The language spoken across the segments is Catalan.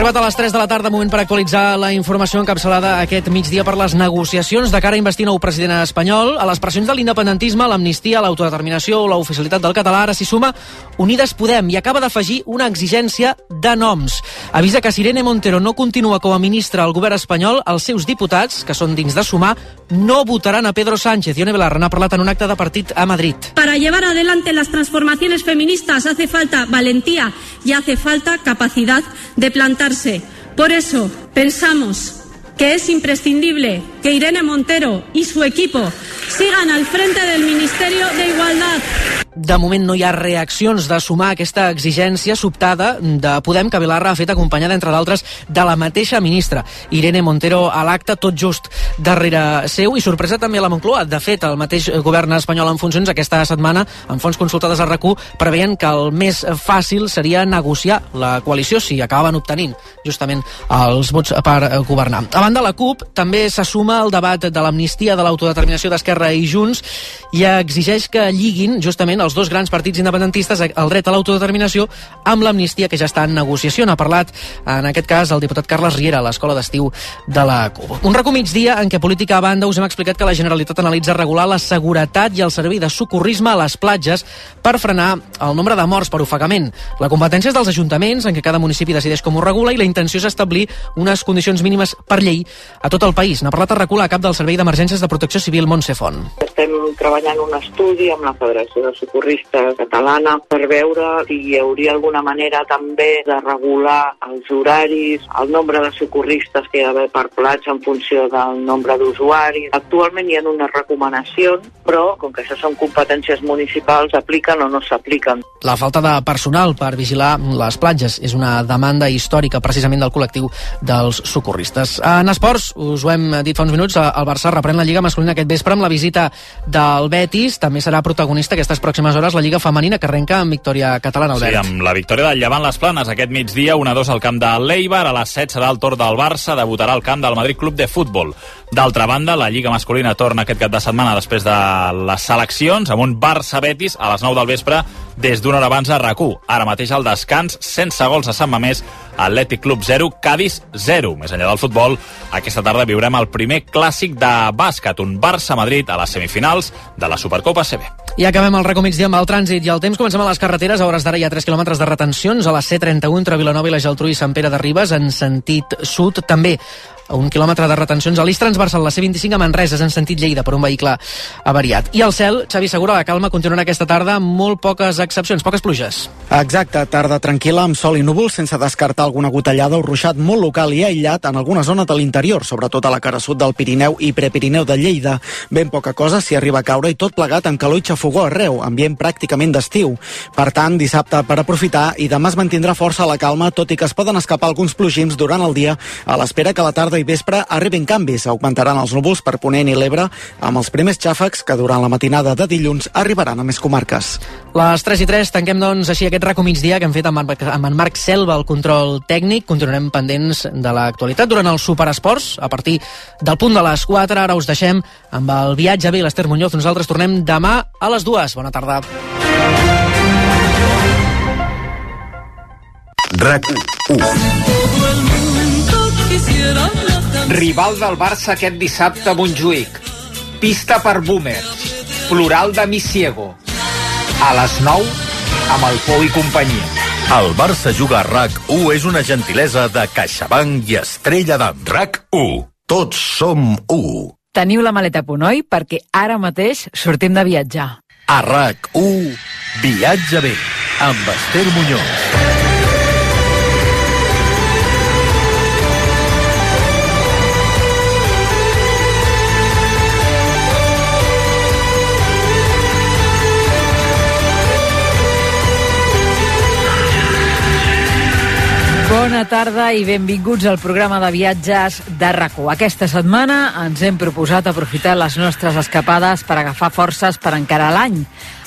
arribat a les 3 de la tarda, moment per actualitzar la informació encapçalada aquest migdia per les negociacions de cara a investir nou president espanyol. A les pressions de l'independentisme, l'amnistia, l'autodeterminació o l'oficialitat del català, ara s'hi suma Unides Podem i acaba d'afegir una exigència de noms. Avisa que si Irene Montero no continua com a ministra al govern espanyol, els seus diputats, que són dins de Sumar, no votaran a Pedro Sánchez. Ione Belarra n'ha parlat en un acte de partit a Madrid. Para llevar adelante las transformaciones feministas hace falta valentía y hace falta capacidad de plantarse. Por eso pensamos que es imprescindible que Irene Montero y su equipo sigan al frente del Ministerio de Igualdad. De moment no hi ha reaccions de Sumar aquesta exigència sobtada de Podem, que Belarra ha fet acompanyada, entre d'altres, de la mateixa ministra Irene Montero a l'acte, tot just darrere seu, i sorpresa també a la Moncloa. De fet, el mateix govern espanyol en funcions aquesta setmana, en fonts consultades a RAC1, preveien que el més fàcil seria negociar la coalició si acabaven obtenint justament els vots per governar. A banda, la CUP també se suma al debat de l'amnistia, de l'autodeterminació d'Esquerra i Junts, i exigeix que lliguin justament els dos grans partits independentistes el dret a l'autodeterminació amb l'amnistia, que ja està en negociació. N'ha parlat, en aquest cas, el diputat Carles Riera a l'escola d'estiu de la CUP. Un RAC1 migdia en què, política a banda, us hem explicat que la Generalitat analitza regular la seguretat i el servei de socorrisme a les platges per frenar el nombre de morts per ofegament. La competència és dels ajuntaments, en què cada municipi decideix com ho regula, i la intenció és establir unes condicions mínimes per llei a tot el país. N'ha parlat a RAC1 a cap del Servei d'Emergències de Protecció Civil, Montse Font. Estem treballant un estudi amb la Federació de Socorristes Catalana per veure si hi hauria alguna manera també de regular els horaris, el nombre de socorristes que hi ha d'haver per platja en funció del nombre d'usuaris. Actualment hi ha unes recomanacions, però com que això són competències municipals, s'apliquen o no s'apliquen. La falta de personal per vigilar les platges és una demanda històrica precisament del col·lectiu dels socorristes. En esports, us ho hem dit fa uns minuts, el Barça reprèn la Lliga masculina aquest vespre amb la visita del Betis. També serà protagonista aquestes pròximes hores la Lliga femenina, que arrenca amb victòria catalana, Albert. Sí, amb la victòria del Llevant Les Planes aquest migdia, 1-2 al camp de l'Eibar. A les 7 serà el torn del Barça, debutarà al camp del Madrid Club de Futbol. D'altra banda, la Lliga masculina torna aquest cap de setmana després de les seleccions, amb un Barça-Betis a les 9 del vespre des d'una hora abans a RAC1. Ara mateix al descans, sense gols a Sant Mamés, Atlètic Club 0, Cádiz 0. Més enllà del futbol, aquesta tarda viurem el primer clàssic de bàsquet, un Barça-Madrid a les semifinals de la Supercopa CB. I acabem el RAC1 migdia amb el trànsit i el temps. Comencem a les carreteres. A hores d'ara hi ha 3 quilòmetres de retencions a la C31 entre Vilanova i la Geltrú i Sant Pere de Ribes en sentit sud. També 1 quilòmetre de retencions a l'eix transversal, la C25 a Manresa, en sentit Lleida, per un vehicle avariat. I el cel, Xavi Segura, la calma continuarà aquesta tarda amb molt poques excepcions, poques pluges. Exacte, tarda tranquil·la amb sol i núvols, sense descartar alguna gotellada o ruixat molt local i aïllat en alguna zona de l'interior, sobretot a la cara sud del Pirineu i Prepirineu de Lleida. Ben poca cosa s'hi arriba a caure i tot plegat amb calor i xafogó arreu, ambient pràcticament d'estiu. Per tant, dissabte per aprofitar i demà es mantindrà força la calma, tot i que es poden escapar alguns plogims durant el dia, a l'espera que la tarda i vespre arribin canvis. Augmentaran els núvols per Ponent i l'Ebre, amb els primers xàfecs que durant la matinada de dilluns arribaran a més comarques. Les 3:03, tanquem doncs així aquest RAC1 migdia que hem fet amb en Marc Selva, el control tècnic. Continuarem pendents de l'actualitat durant els superesports a partir del punt de les 4. Ara us deixem amb el viatge a l'Ester Muñoz. Nosaltres tornem demà a les 2. Bona tarda. RAC1. Rival del Barça aquest dissabte a Montjuïc. Pista per boomers. Plural de Mi Ciego. A les 9, amb el Pou i companyia. El Barça juga a RAC1 és una gentilesa de CaixaBank i Estrella d'Am. RAC1. Tots som 1. Teniu la maleta a punt, oi? Perquè ara mateix sortim de viatjar. A RAC1, viatja bé, amb Ester Muñoz. Bona tarda i benvinguts al programa de viatges de RAC1. Aquesta setmana ens hem proposat aprofitar les nostres escapades per agafar forces per encarar l'any.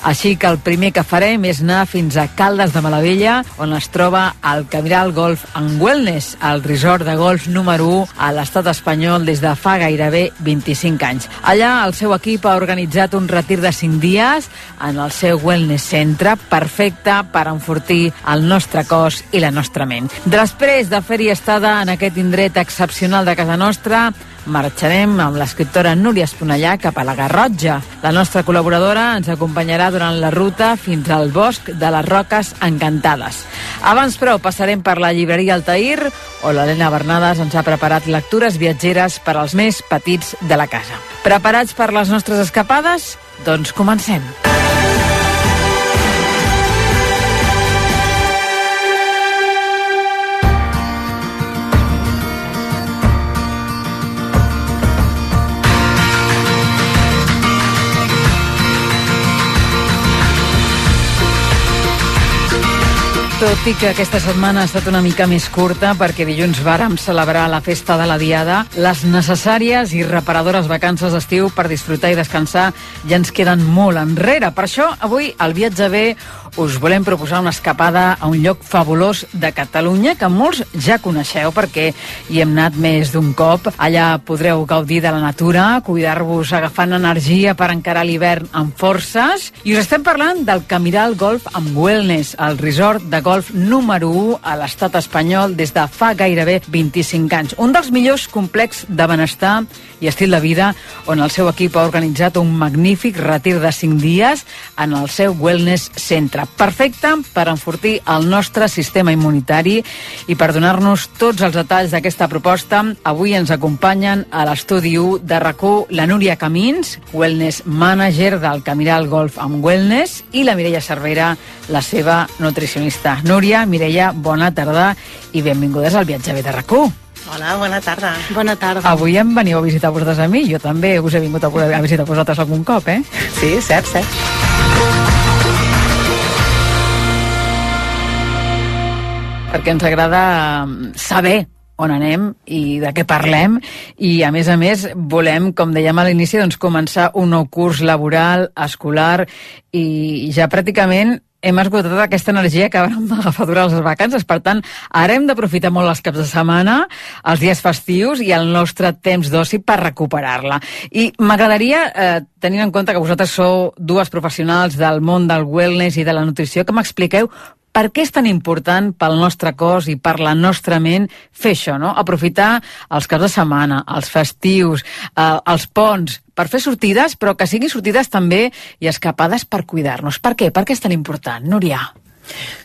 Així que el primer que farem és anar fins a Caldes de Malavella, on es troba el Camiral Golf and Wellness, el resort de golf número 1 a l'estat espanyol des de fa gairebé 25 anys. Allà el seu equip ha organitzat un retir de 5 dies en el seu wellness centre, perfecte per enfortir el nostre cos i la nostra ment. Després després de fer-hi estada en aquest indret excepcional de casa nostra, marxarem amb l'escriptora Núria Esponellà cap a la Garrotxa. La nostra col·laboradora ens acompanyarà durant la ruta fins al bosc de les Roques Encantades. Abans, però, passarem per la llibreria Altair, on l'Helena Bernades ens ha preparat lectures viatgeres per als més petits de la casa. Preparats per les nostres escapades? Doncs comencem. Tot i que aquesta setmana ha estat una mica més curta perquè dilluns vàrem celebrar la festa de la Diada, les necessàries i reparadores vacances d'estiu per disfrutar i descansar ja ens queden molt enrere. Per això, avui, al Viatge B, us volem proposar una escapada a un lloc fabulós de Catalunya que molts ja coneixeu perquè hi hem anat més d'un cop. Allà podreu gaudir de la natura, cuidar-vos agafant energia per encarar l'hivern amb forces. I us estem parlant del Camiral Golf and Wellness, el resort de golf número 1 a l'estat espanyol des de fa gairebé 25 anys. Un dels millors complexos de benestar i estil de vida on el seu equip ha organitzat un magnífic retir de 5 dies en el seu Wellness Centre. Perfecte per enfortir el nostre sistema immunitari i per donar-nos tots els detalls d'aquesta proposta, avui ens acompanyen a l'estudi 1 de RAC1 la Núria Camins, Wellness Manager del Camiral Golf and Wellness, i la Mireia Cervera, la seva nutricionista. Núria, Mireia, bona tarda i benvingudes al Viatge B de RAC1. Hola, bona tarda. Bona tarda. Avui em veniu a visitar vosaltres a mi, jo també us he vingut a visitar vosaltres algun cop, eh? Sí, cert. Perquè ens agrada saber on anem i de què parlem, i a més volem, com dèiem a l'inici, doncs, començar un nou curs laboral, escolar, i ja pràcticament hem esgotat aquesta energia que vam agafar durant les vacances. Per tant, ara hem d'aprofitar molt els caps de setmana, els dies festius i el nostre temps d'oci per recuperar-la. I m'agradaria, tenint en compte que vosaltres sou dues professionals del món del wellness i de la nutrició, que m'expliqueu per què és tan important pel nostre cos i per la nostra ment fer això, no? Aprofitar els caps de setmana, els festius, els ponts, per fer sortides, però que siguin sortides també i escapades per cuidar-nos. Per què? Per què és tan important, Núria?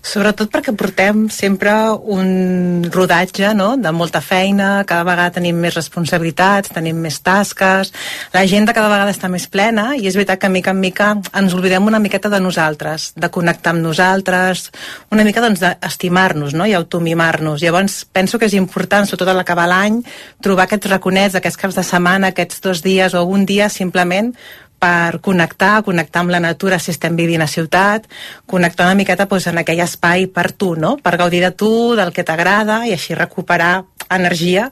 Sobretot perquè portem sempre un rodatge, no?, de molta feina, cada vegada tenim més responsabilitats, tenim més tasques, l'agenda cada vegada està més plena i és veritat que mica en mica ens oblidem una miqueta de nosaltres, de connectar amb nosaltres, una mica doncs d'estimar-nos, no?, i automimar-nos. Llavors penso que és important, sobretot a l'acabar l'any, trobar aquests raconets, aquests caps de setmana, aquests 2 dies o un dia simplement per connectar amb la natura si estem vivint a ciutat, connectar una miqueta doncs, en aquell espai per tu, no? Per gaudir de tu, del que t'agrada i així recuperar energia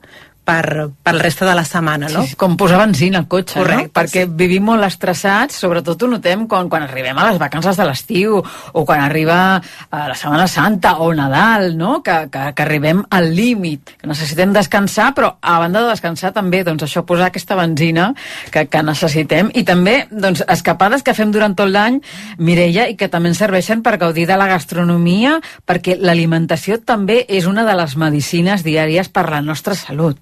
pel resta de la setmana, no? Sí, com posar benzina al cotxe, correcte, no? Perquè vivim molt estressats, sobretot ho notem quan arribem a les vacances de l'estiu o quan arriba la Setmana Santa o Nadal, no? Que arribem al límit, que necessitem descansar, però a banda de descansar també, doncs això, posar aquesta benzina que necessitem, i també, doncs, escapades que fem durant tot l'any, Mireia, i que també ens serveixen per gaudir de la gastronomia, perquè l'alimentació també és una de les medicines diàries per la nostra salut.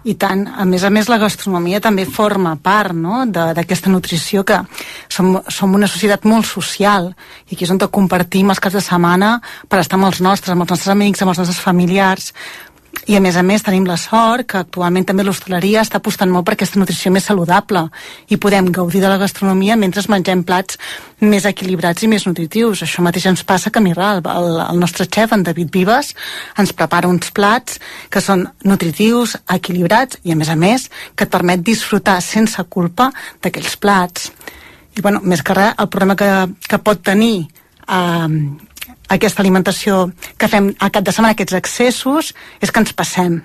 I tant, a més, la gastronomia també forma part, no?, d'aquesta nutrició, que som una societat molt social i aquí és on compartim els caps de setmana per estar amb els nostres amics, amb els nostres familiars. I a més tenim la sort que actualment també l'hostaleria està apostant molt per aquesta nutrició més saludable i podem gaudir de la gastronomia mentre mengem plats més equilibrats i més nutritius. Això mateix ens passa a Camiral. El nostre xef, en David Vives, ens prepara uns plats que són nutritius, equilibrats i a més que et permet disfrutar sense culpa d'aquells plats. I més que res, el problema que pot tenir aquesta alimentació que fem al cap de setmana, aquests excessos, és que ens passem.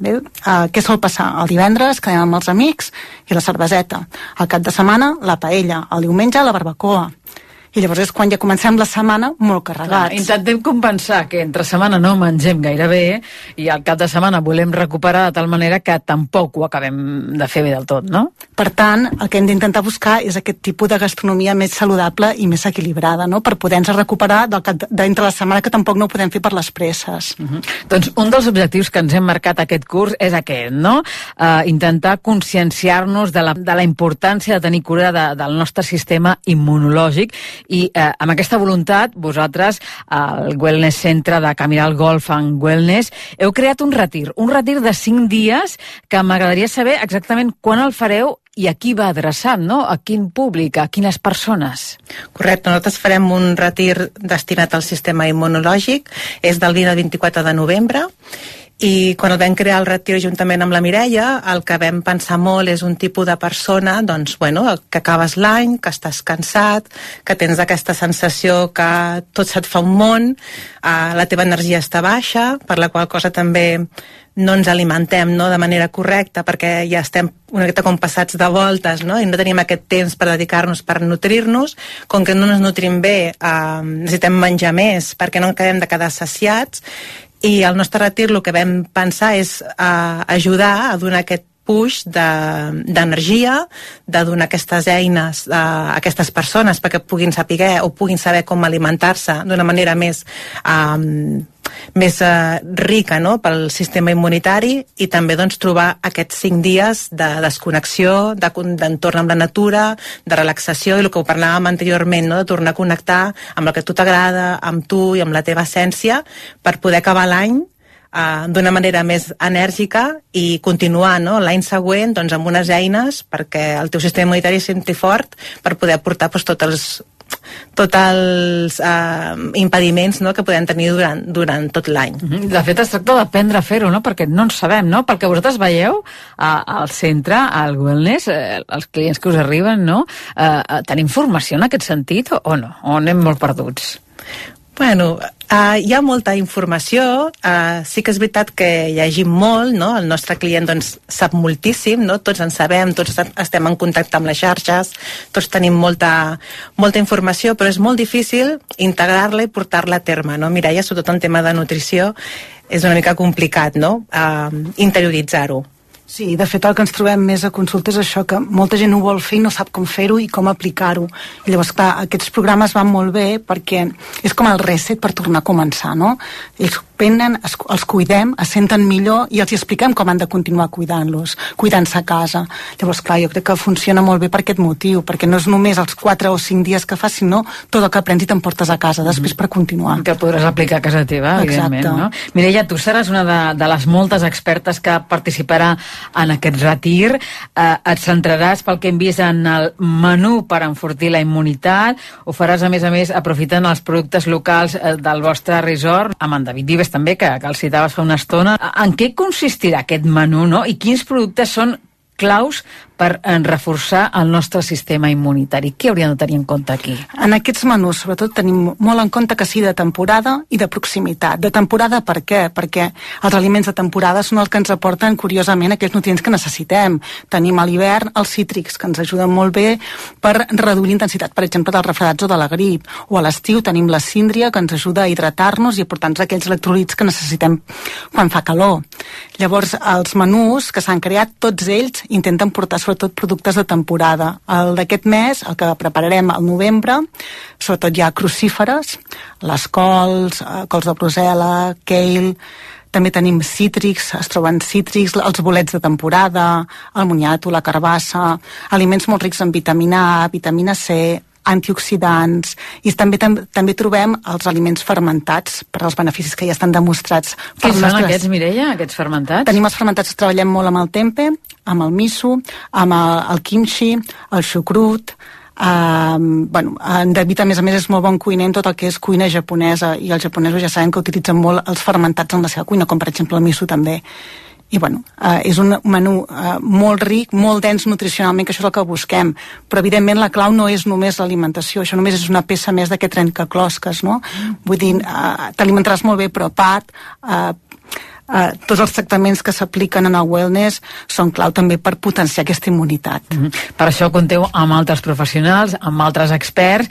Què sol passar? El divendres quedem amb els amics i la cerveseta. Al cap de setmana, la paella. El diumenge, la barbacoa. i llavors és quan ja comencem la setmana molt carregats. Intentem compensar que entre setmana no mengem gaire bé i al cap de setmana volem recuperar de tal manera que tampoc ho acabem de fer bé del tot, no? Per tant, el que hem d'intentar buscar és aquest tipus de gastronomia més saludable i més equilibrada, no? Per poder-nos recuperar d'entre la setmana que tampoc no ho podem fer per les presses. Doncs un dels objectius que ens hem marcat aquest curs és aquest, no? Intentar conscienciar-nos de la importància de tenir cura del nostre sistema immunològic i amb aquesta voluntat vosaltres, al Wellness Centre de Camiral Golf and Wellness, heu creat un retir de 5 dies que m'agradaria saber exactament quan el fareu i a qui va adreçat, no? A quin públic, a quines persones? Correcte, nosaltres farem un retir destinat al sistema immunològic, és del 20 al 24 de novembre, i quan el vam crear el retir juntament amb la Mireia, el que vam pensar molt és un tipus de persona, doncs, bueno, que acabes l'any, que estàs cansat, que tens aquesta sensació que tot se't fa un món, la teva energia està baixa, per la qual cosa també no ens alimentem, no, de manera correcta, perquè ja estem una miqueta com passats de voltes, no? I no tenim aquest temps per dedicar-nos, per nutrir-nos. Com que no ens nutrim bé, necessitem menjar més perquè no acabem de quedar saciats, i al nostre retir el que vam pensar és ajudar a donar aquest push d'energia, de donar aquestes eines a aquestes persones perquè puguin saber o puguin saber com alimentar-se d'una manera més rica, no?, pel sistema immunitari, i també doncs trobar aquests 5 dies de desconnexió, d'entorn amb la natura, de relaxació, i el que ho parlàvem anteriorment, no?, de tornar a connectar amb el que a tu t'agrada, amb tu i amb la teva essència, per poder acabar l'any d'una manera més enèrgica i continuar, no?, l'any següent doncs, amb unes eines perquè el teu sistema immunitari es senti fort per poder portar doncs, tots els impediments, no?, que podem tenir durant tot l'any. De fet, es tracta d'aprendre a fer-ho, no?, perquè no en sabem, no? Perquè vosaltres veieu al centre, al wellness, els clients que us arriben, no? Tenim formació en aquest sentit o no? O anem molt perduts? Bueno, hi ha molta informació, sí que és veritat que llegim molt, no? El nostre client doncs, sap moltíssim, no? Tots en sabem, tots estem en contacte amb les xarxes, tots tenim molta informació, però és molt difícil integrar-la i portar-la a terme, no? Mireia, sobretot en tema de nutrició, és una mica complicat, no?, interioritzar-ho. Sí, de fet el que ens trobem més a consulta és això, que molta gent ho vol fer i no sap com fer-ho i com aplicar-ho. I llavors, clar, aquests programes van molt bé perquè és com el reset per tornar a començar, no? Ells venen, els cuidem, es senten millor i els expliquem com han de continuar cuidant-se a casa. Llavors, clar, jo crec que funciona molt bé per aquest motiu, perquè no és només els 4 o 5 dies que fas, sinó tot el que aprens i t'emportes a casa després per continuar. Que podràs aplicar a casa teva, evidentment, no? Mireia, tu seràs una de les moltes expertes que participarà en aquest retir. Et centraràs, pel que hem vist, en el menú per enfortir la immunitat, ho faràs a més aprofitant els productes locals del vostre resort, amb en David Vives també, que el citaves fa una estona. En què consistirà aquest menú, no? I quins productes són claus per reforçar el nostre sistema immunitari? Què hauríem de tenir en compte aquí? En aquests menús, sobretot, tenim molt en compte que sigui de temporada i de proximitat. De temporada, per què? Perquè els aliments de temporada són els que ens aporten, curiosament, aquells nutrients que necessitem. Tenim a l'hivern els cítrics, que ens ajuden molt bé per reduir l'intensitat, per exemple, dels refredats o de la grip. O a l'estiu tenim la síndria, que ens ajuda a hidratar-nos i a aportar-nos aquells electrolits que necessitem quan fa calor. Llavors, els menús que s'han creat, tots ells intenten portar sobretot productes de temporada. El d'aquest mes, el que prepararem al novembre, sobretot hi ha crucíferes, les cols de Brussel·la, kale, també tenim cítrics, es troben cítrics, els bolets de temporada, el moniato, la carbassa, aliments molt rics en vitamina A, vitamina C, antioxidants, i també trobem els aliments fermentats per als beneficis que ja estan demostrats. Què són aquests, Mireia, aquests fermentats? Tenim els fermentats que treballem molt amb el tempeh, amb el miso, amb el kimchi, el xucrut. En David, a més, és molt bon cuiner en tot el que és cuina japonesa, i els japonesos ja sabem que utilitzen molt els fermentats en la seva cuina, com per exemple el miso també. I és un menú molt ric, molt dens nutricionalment, que això és el que busquem, però evidentment la clau no és només l'alimentació, això només és una peça més d'aquest trencaclosques, no? Vull dir, t'alimentaràs molt bé, però a part tots els tractaments que s'apliquen en el wellness són clau també per potenciar aquesta immunitat. Per això compteu amb altres professionals, amb altres experts.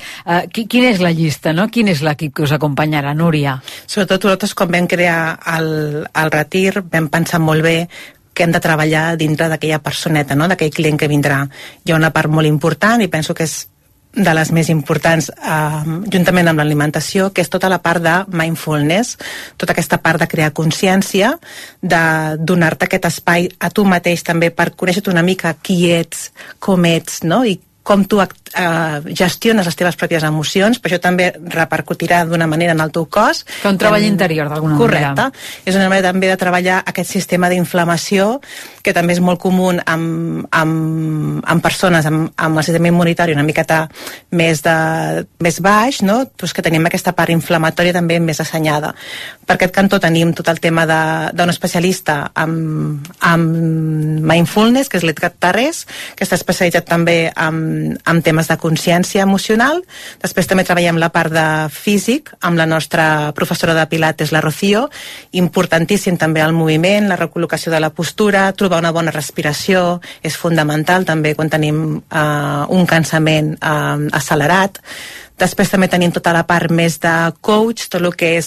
Quina és la llista, no? Quin és l'equip que us acompanyarà, Núria? Sobretot nosaltres, quan vam crear el retir, vam pensar molt bé que hem de treballar dintre d'aquella personeta, no? D'aquell client que vindrà. Hi ha una part molt important, i penso que és de les més importants, juntament amb l'alimentació, que és tota la part de mindfulness, tota aquesta part de crear consciència, de donar-te aquest espai a tu mateix també per conèixer-te una mica qui ets, com ets, no? I com tu gestiones les teves pròpies emocions, però això també repercutirà d'una manera en el teu cos. Que un treball interior, d'alguna manera. Correcte. És una manera també de treballar aquest sistema d'inflamació, que també és molt comú en persones amb el sistema immunitari una miqueta més baix, no? Pues que tenim aquesta part inflamatòria també més assenyada. Per aquest cantó tenim tot el tema d'un especialista amb mindfulness, que és l'Edgar Tarrés, que està especialitzat també amb temes de consciència emocional. Després també treballem la part de físic amb la nostra professora de Pilates, la Rocío. Importantíssim també el moviment, la recol·locació de la postura, trobar una bona respiració és fundamental també quan tenim un cansament accelerat. Després també tenim tota la part més de coach, tot el que és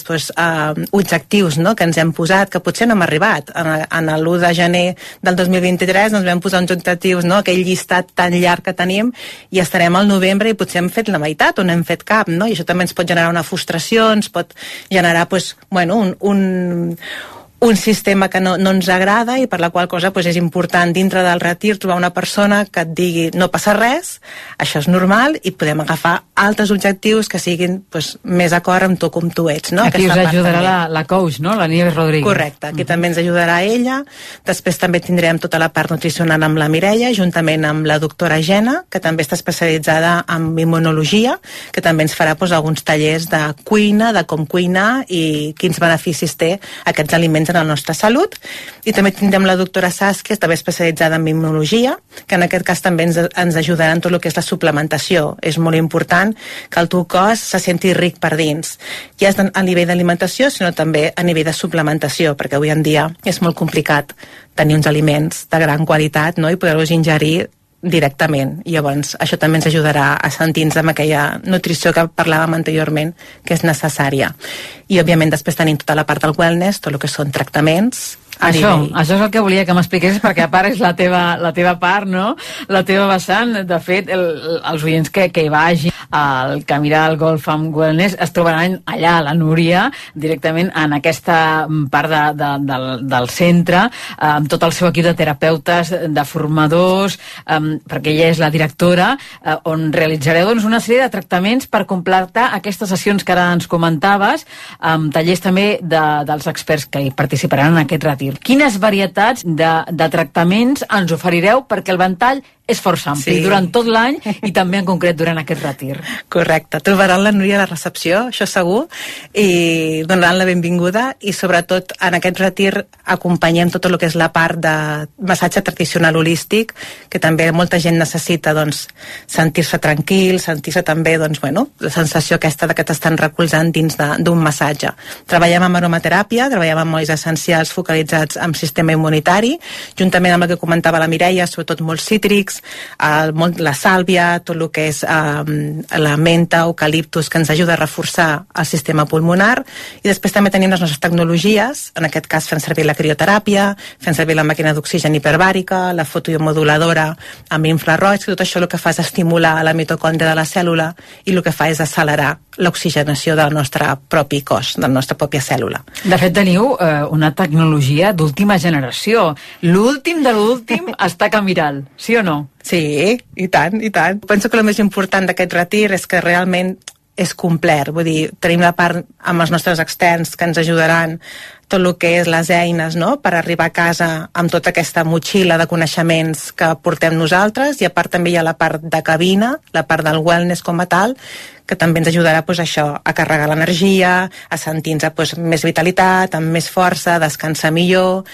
objectius, no?, que ens hem posat, que potser no hem arribat. En l'1 de gener del 2023 ens vam posar uns objectius, no?, aquell llistat tan llarg que tenim, i estarem al novembre i potser hem fet la meitat o no hem fet cap, no? I això també ens pot generar una frustració, ens pot generar un sistema que no ens agrada, i per la qual cosa és important dintre del retir trobar una persona que et digui no passa res, això és normal, i podem agafar altres objectius que siguin més d'acord amb tu com tu ets, no? Aquí us ajudarà la coach, no? La Nieves Rodríguez. Correcte, aquí també ens ajudarà ella. Després també tindrem tota la part nutricional amb la Mireia, juntament amb la doctora Gena, que també està especialitzada en immunologia, que també ens farà alguns tallers de cuina, de com cuinar i quins beneficis té aquests aliments en la nostra salut. I també tindrem la doctora Saskia, també especialitzada en immunologia, que en aquest cas també ens ajudarà en tot el que és la suplementació. És molt important que el teu cos se senti ric per dins. Ja és a nivell d'alimentació, sinó també a nivell de suplementació, perquè avui en dia és molt complicat tenir uns aliments de gran qualitat, no?, i poder-los ingerir directament. I llavors això també ens ajudarà a sentir-nos amb aquella nutrició que parlàvem anteriorment, que és necessària. I òbviament després tenim tota la part del wellness, tot el que són tractaments. Això és el que volia que m'expliquessis, perquè a part és la teva part, no? La teva vessant. De fet, els oients que hi vagin al Camiral Golf and Wellness es trobaran allà, la Núria, directament en aquesta part del centre, amb tot el seu equip de terapeutes, de formadors, perquè ella és la directora, on realitzareu una sèrie de tractaments per completar aquestes sessions que ara ens comentaves, amb tallers també dels experts que hi participaran en aquest retir. Quines varietats de tractaments ens oferireu, perquè el ventall és força ampli durant tot l'any i també en concret durant aquest retir? Correcte. Trobaran la Núria a la recepció, això segur, i donaran la benvinguda, i sobretot en aquest retir acompanyem tot el que és la part de massatge tradicional holístic, que també molta gent necessita sentir-se tranquil, sentir-se també la sensació aquesta que t'estan recolzant dins d'un massatge. Treballem amb aromateràpia, treballem amb olis essencials focalitzats en sistema immunitari, juntament amb el que comentava la Mireia, sobretot molts cítrics, la sàlvia, tot el que és la menta, eucaliptus, que ens ajuda a reforçar el sistema pulmonar. I després també tenim les nostres tecnologies, en aquest cas fem servir la crioteràpia, fem servir la màquina d'oxigen hiperbàrica, la fotomoduladora amb infraroig, que tot això el que fa és estimular la mitocòndria de la cèl·lula, i el que fa és accelerar l'oxigenació del nostre propi cos, de la nostra pròpia cèl·lula. De fet, teniu una tecnologia d'última generació. L'últim de l'últim està a Camiral, sí o no? Sí, i tant, i tant. Penso que el més important d'aquest retir és que realment és complet, vull dir, tenim la part amb els nostres externs que ens ajudaran tot el que és les eines, no?, per arribar a casa amb tota aquesta motxilla de coneixements que portem nosaltres, i a part també hi ha la part de cabina, la part del wellness com a tal, que també ens ajudarà a carregar l'energia, a sentir-nos més vitalitat, amb més força, a descansar millor.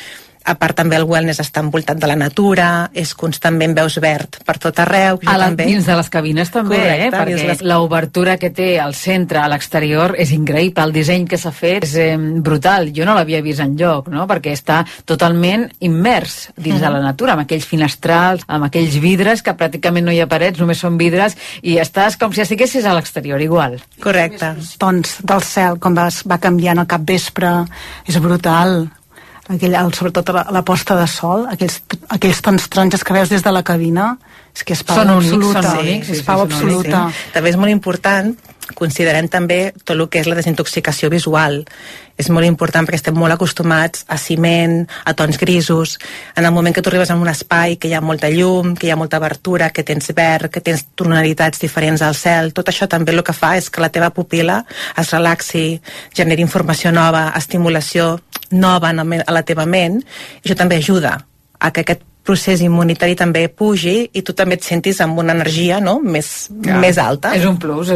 A part també el wellness està envoltat de la natura, és constantment veus verd per tot arreu. Dins de les cabines també, correcte, perquè l'obertura que té al centre, a l'exterior, és increïble. El disseny que s'ha fet és brutal. Jo no l'havia vist enlloc, no? Perquè està totalment immers dins de la natura, amb aquells finestrals, amb aquells vidres, que pràcticament no hi ha parets, només són vidres, i estàs com si estiguessis a l'exterior, igual. Correcte. Tons del cel, com va canviant al capvespre, és brutal. Sobretot la posta de sol, aquells tons taronges que veus des de la cabina, és que és pau absoluta. És pau absoluta. També és molt important, considerem també tot el que és la desintoxicació visual. És molt important perquè estem molt acostumats a ciment, a tons grisos. En el moment que tu arribes a un espai que hi ha molta llum, que hi ha molta obertura, que tens verd, que tens tonalitats diferents al cel, tot això també el que fa és que la teva pupil·la es relaxi, generi informació nova, estimulació nova a la teva ment, i això també ajuda a que aquest procés immunitari també pugi i tu també et sentis amb una energia, no? més alta. És un plus,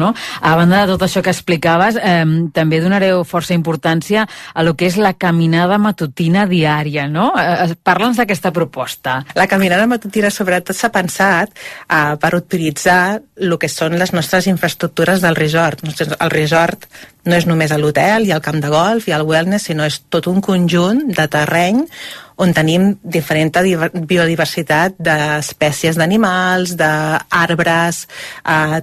no? A banda de tot això que explicaves, també donareu força importància a lo que és la caminada matutina diària, no? Parla'ns d'aquesta proposta. La caminada matutina sobretot s'ha pensat per utilitzar el que són les nostres infraestructures del resort. El resort no és només l'hotel i el camp de golf i el wellness, sinó és tot un conjunt de terreny on tenim diferent biodiversitat d'espècies d'animals, d'arbres,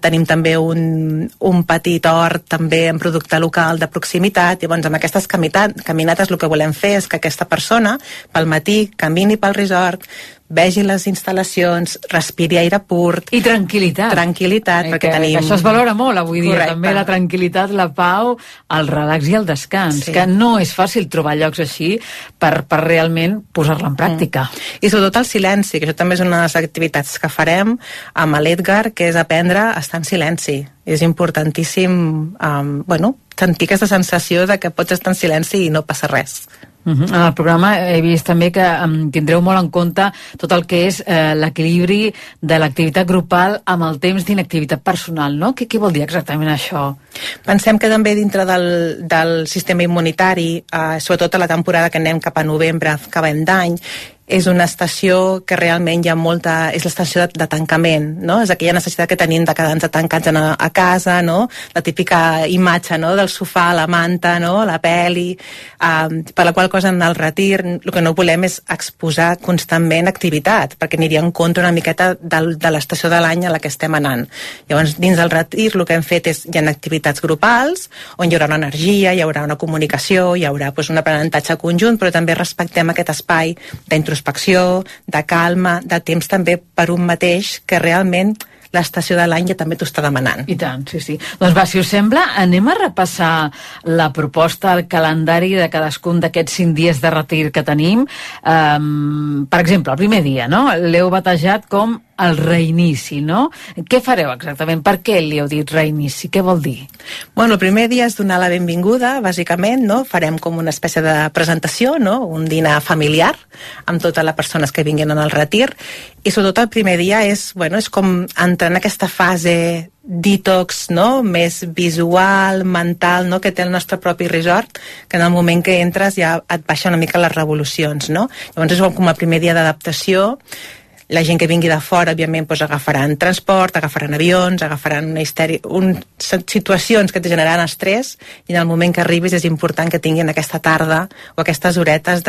tenim també un petit hort també en producte local de proximitat. Llavors, amb aquestes caminades el que volem fer és que aquesta persona pel matí camini pel resort, vegi les instal·lacions, respiri aire pur. I tranquil·litat. Perquè tenim... Això es valora molt avui dia, també la tranquil·litat, la pau, el relax i el descans, que no és fàcil trobar llocs així per realment posar-la en pràctica. I sobretot el silenci, que això també és una de les activitats que farem amb l'Edgar, que és aprendre a estar en silenci. És importantíssim sentir aquesta sensació de que pots estar en silenci i no passa res. En el programa he vist també que tindreu molt en compte tot el que és l'equilibri de l'activitat grupal amb el temps d'inactivitat personal, no? Què vol dir exactament això? Pensem que també dintre del sistema immunitari, sobretot a la temporada que anem cap a novembre, acabem d'any, és una estació que realment hi ha molta... És l'estació de tancament, no? És aquella necessitat que tenim de quedar-nos tancats a casa, no? La típica imatge, no? Del sofà, la manta, no? La peli... per la qual cosa en el retir el que no volem és exposar constantment activitat, perquè aniria en contra una miqueta de l'estació de l'any a la que estem anant. Llavors, dins del retir el que hem fet és... Hi ha activitats grupals, on hi haurà una energia, hi haurà una comunicació, hi haurà un aprenentatge conjunt, però també respectem aquest espai d'introspecció, de calma, de temps també per un mateix, que realment l'estació de l'any ja també t'ho està demanant. I tant, sí. Doncs va, si us sembla, anem a repassar la proposta, el calendari de cadascun d'aquests 5 dies de retir que tenim. Per exemple, el primer dia, no? L'heu batejat com el reinici, no? Què fareu exactament? Per què li heu dit reinici? Què vol dir? Bueno, el primer dia és donar la benvinguda, bàsicament, no? Farem com una espècie de presentació, no? Un dinar familiar amb totes les persones que vinguin en el retir, i sobretot el primer dia és com entrar en aquesta fase detox, no? Més visual, mental, no? Que té el nostre propi resort, que en el moment que entres ja et baixa una mica les revolucions, no? Llavors és com el primer dia d'adaptació. La gent que vingui de fora, òbviament, agafaran transport, agafaran avions, agafaran situacions que et generaran estrès, i en el moment que arribis és important que tinguin aquesta tarda o aquestes horetes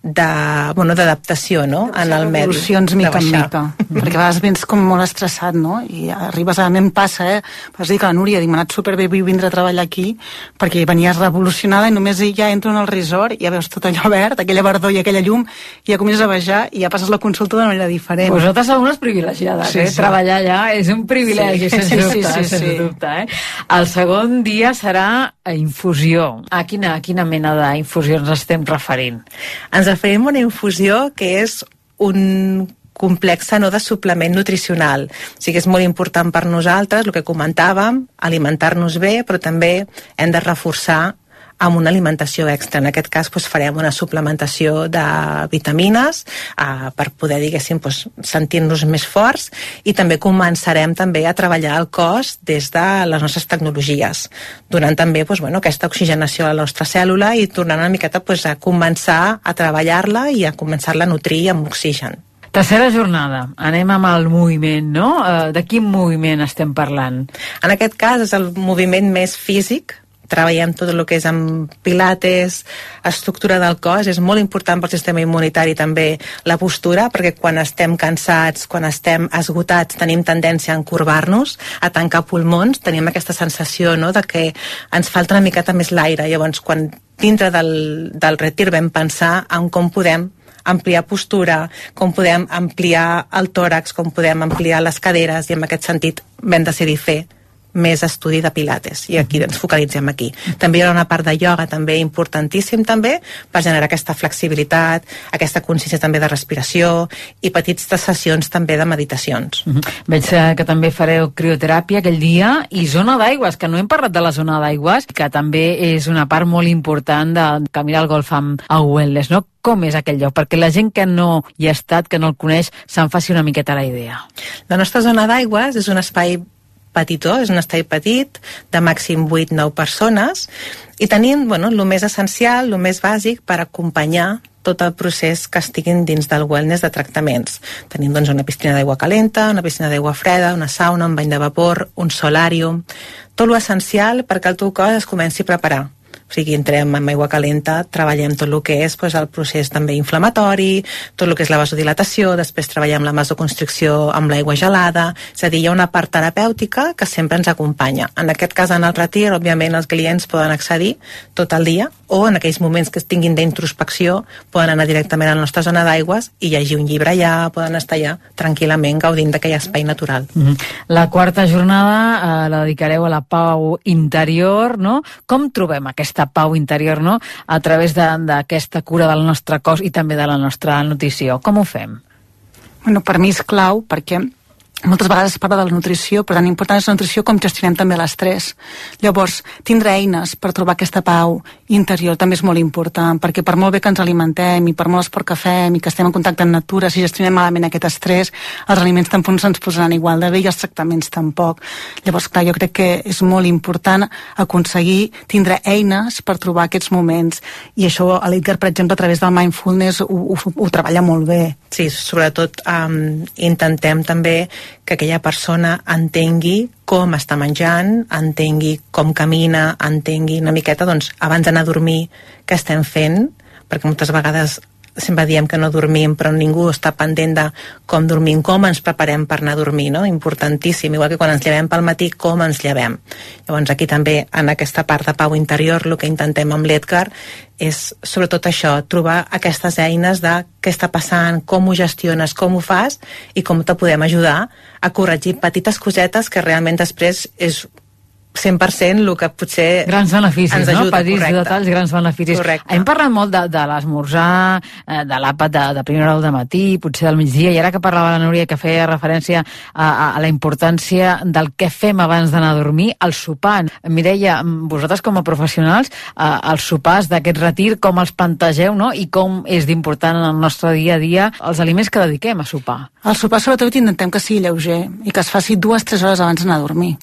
d'adaptació, no? En el medi. Revolucions mica en mica. Perquè a vegades vens com molt estressat, no? I arribes, a mi em passa, vas dir que la Núria, m'ha anat superbé vindre a treballar aquí, perquè venies revolucionada i només ja entro en el resort i ja veus tot allò verd, aquella verdor i aquella llum, i ja comences a baixar i ja passes la consulta d'una manera diferent. Vosaltres sou unes privilegiades, sí. Treballar allà és un privilegi, sens dubte. El segon dia serà infusió. A quina mena d'infusió ens estem referint? Ens referim a una infusió que és un complex de suplement nutricional. O sigui, és molt important per nosaltres, el que comentàvem, alimentar-nos bé, però també hem de reforçar amb una alimentació extra. En aquest cas farem una suplementació de vitamines per poder, diguéssim, sentir-nos més forts, i també començarem també a treballar el cos des de les nostres tecnologies, donant també aquesta oxigenació a la nostra cèl·lula i tornant una miqueta a començar a treballar-la i a començar-la a nutrir amb oxigen. Tercera jornada, anem amb el moviment, no? De quin moviment estem parlant? En aquest cas és el moviment més físic. Treballem tot el que és amb pilates, estructura del cos. És molt important pel sistema immunitari també la postura, perquè quan estem cansats, quan estem esgotats, tenim tendència a encorbar-nos, a tancar pulmons, tenim aquesta sensació, no?, de que ens falta una miqueta més l'aire. Llavors, quan dintre del retir vam pensar en com podem ampliar postura, com podem ampliar el tòrax, com podem ampliar les caderes, i en aquest sentit vam decidir fer més estudi de pilates, i aquí ens focalitzem aquí. També hi ha una part de ioga també importantíssim també per generar aquesta flexibilitat, aquesta consciència també de respiració i petites sessions també de meditacions. Veig que també fareu crioteràpia aquell dia, i zona d'aigües, que no hem parlat de la zona d'aigües, que també és una part molt important de caminar al golf a Wellness, no? Com és aquell lloc? Perquè la gent que no hi ha estat, que no el coneix, se'n faci una miqueta la idea. La nostra zona d'aigües és un espai petitó, és un espai petit, de màxim 8-9 persones, i tenim el més essencial, el més bàsic per acompanyar tot el procés que estiguin dins del wellness de tractaments. Tenim una piscina d'aigua calenta, una piscina d'aigua freda, una sauna, un bany de vapor, un solàrium, tot l'essencial perquè el teu cos es comenci a preparar. O sigui, entrem amb aigua calenta, treballem tot el que és el procés també inflamatori, tot el que és la vasodilatació, després treballem la vasoconstricció amb l'aigua gelada, és a dir, hi ha una part terapèutica que sempre ens acompanya. En aquest cas, en el retir, òbviament, els clients poden accedir tot el dia, o en aquells moments que es tinguin d'introspecció poden anar directament a la nostra zona d'aigües i llegir un llibre allà, poden estar allà tranquil·lament gaudint d'aquell espai natural. La quarta jornada la dedicareu a la pau interior, no? Com trobem aquesta pau interior, no?, a través d'aquesta cura del nostre cos i també de la nostra nutrició? Com ho fem? Per mi és clau, perquè moltes vegades es parla de la nutrició, però tan important és la nutrició com gestionem també l'estrès. Llavors, tindre eines per trobar aquesta pau interior també és molt important, perquè per molt bé que ens alimentem i per molt esport que fem i que estem en contacte amb natura, si gestionem malament aquest estrès, els aliments tampoc no se'ns posaran igual de bé i els tractaments tampoc. Llavors, clar, jo crec que és molt important aconseguir tindre eines per trobar aquests moments, i això l'Edgar, per exemple, a través del mindfulness ho treballa molt bé. Sí, sobretot intentem també que aquella persona entengui com està menjant, entengui com camina, entengui una miqueta, abans d'anar a dormir, què estem fent, perquè moltes vegades sempre diem que no dormim, però ningú està pendent de com dormim, com ens preparem per anar a dormir, no? Importantíssim, igual que quan ens llevem pel matí, com ens llevem. Llavors aquí també, en aquesta part de pau interior, el que intentem amb l'Edgar és sobretot això, trobar aquestes eines de què està passant, com ho gestiones, com ho fas i com te podem ajudar a corregir petites cosetes que realment després és 100% el que potser grans beneficis, ens ajuda, no? Petits correcte. detalls, grans beneficis. Correcte. Hem parlat molt de l'esmorzar, de l'àpat de primera hora del matí, potser del migdia, i ara que parlava la Núria, que feia referència a la importància del què fem abans d'anar a dormir, el sopar. Mireia, vosaltres com a professionals, els sopars d'aquest retir, com els plantegeu, no? I com és d'important en el nostre dia a dia els aliments que dediquem a sopar? El sopar sobretot intentem que sigui lleuger i que es faci 2-3 hores abans d'anar a dormir,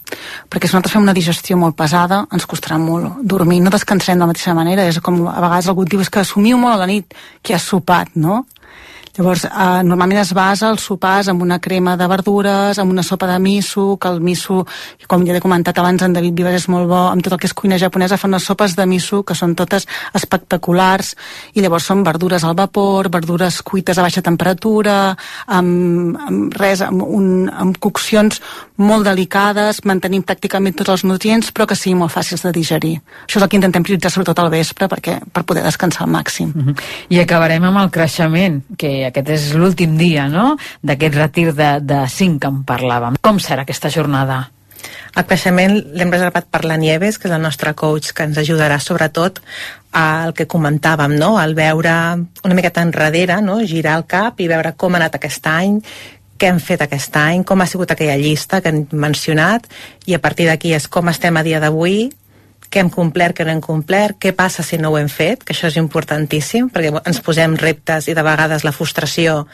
perquè si nosaltres fem una digestió molt pesada, ens costarà molt dormir, no descansem de la mateixa manera, és com a vegades algú diu que assumiu molt a la nit que has sopat, no? Llavors, normalment es basa els sopars amb una crema de verdures, amb una sopa de miso, que el miso, com ja he comentat abans, en David Vives és molt bo, amb tot el que és cuina japonesa, fan unes sopes de miso que són totes espectaculars, i llavors són verdures al vapor, verdures cuites a baixa temperatura, amb coccions molt delicades, mantenint pràcticament tots els nutrients, però que siguin molt fàcils de digerir. Això és el que intentem prioritzar sobretot al vespre, per poder descansar al màxim. I acabarem amb el creixement, que aquest és l'últim dia, no?, d'aquest retir de 5 que en parlàvem. Com serà aquesta jornada? El creixement l'hem reservat per la Nieves, que és el nostre coach, que ens ajudarà sobretot al que comentàvem, no?, al veure una miqueta enrere, no?, girar el cap i veure com ha anat aquest any, què hem fet aquest any, com ha sigut aquella llista que hem mencionat, i a partir d'aquí és com estem a dia d'avui, què hem complert, què no hem complert, què passa si no ho hem fet, que això és importantíssim, perquè ens posem reptes i de vegades la frustració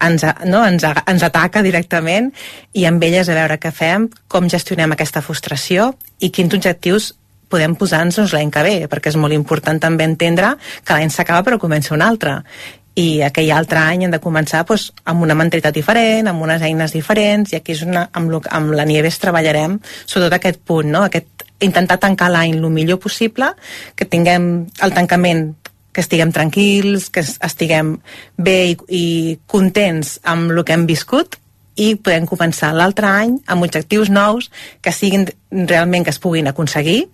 ens ataca directament, i amb elles a veure què fem, com gestionem aquesta frustració i quins objectius podem posar-nos l'any que ve, perquè és molt important també entendre que l'any s'acaba però comença un altre, i aquell altre any hem de començar amb una mentalitat diferent, amb unes eines diferents, i aquí és amb la Nieves treballarem sobretot aquest punt, no? Intentar tancar l'any el millor possible, que tinguem el tancament, que estiguem tranquils, que estiguem bé i contents amb el que hem viscut, i podem començar l'altre any amb objectius nous que siguin realment que es puguin aconseguir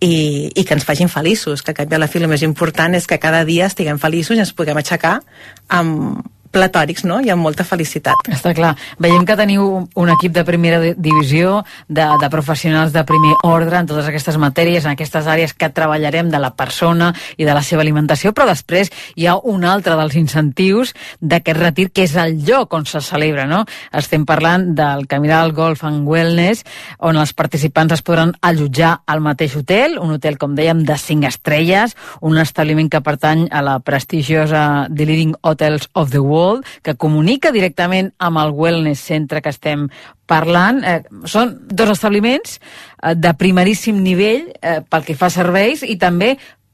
i que ens facin feliços, que a la fi el més important és que cada dia estiguem feliços i ens puguem aixecar amb platòrics, no? I amb molta felicitat. Està clar. Veiem que teniu un equip de primera divisió, de professionals de primer ordre en totes aquestes matèries, en aquestes àrees que treballarem de la persona i de la seva alimentació, però després hi ha un altre dels incentius d'aquest retir, que és el lloc on se celebra, no? Estem parlant del Camiral Golf and Wellness, on els participants es podran allotjar al mateix hotel, un hotel, com dèiem, de 5 estrelles, un establiment que pertany a la prestigiosa The Leading Hotels of the World, que comunica directament amb el Wellness Centre que estem parlant. Són 2 establiments de primeríssim nivell pel que fa a serveis i també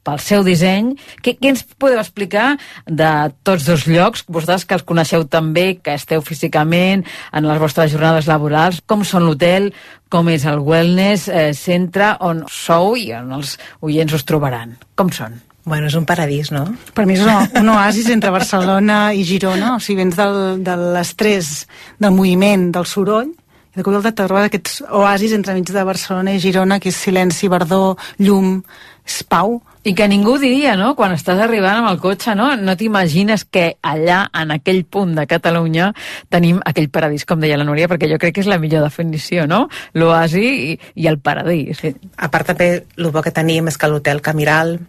pel seu disseny. Què ens podeu explicar de tots 2 llocs? Vosaltres que els coneixeu també, que esteu físicament en les vostres jornades laborals, com són l'hotel, com és el Wellness Centre, on sou i on els oients us trobaran? Com són? Bueno, és un paradís, no? Per mi és un oasis entre Barcelona i Girona, o sigui, vens de l'estrès, del moviment, del soroll, i de cop te trobes aquests oasis entremig de Barcelona i Girona, que és silenci, verdor, llum, és pau. I que ningú diria, no?, quan estàs arribant amb el cotxe, no t'imagines que allà, en aquell punt de Catalunya, tenim aquell paradís, com deia la Núria, perquè jo crec que és la millor definició, no?, l'oasi i el paradís. A part també, el bo que tenim és que l'hotel Camiral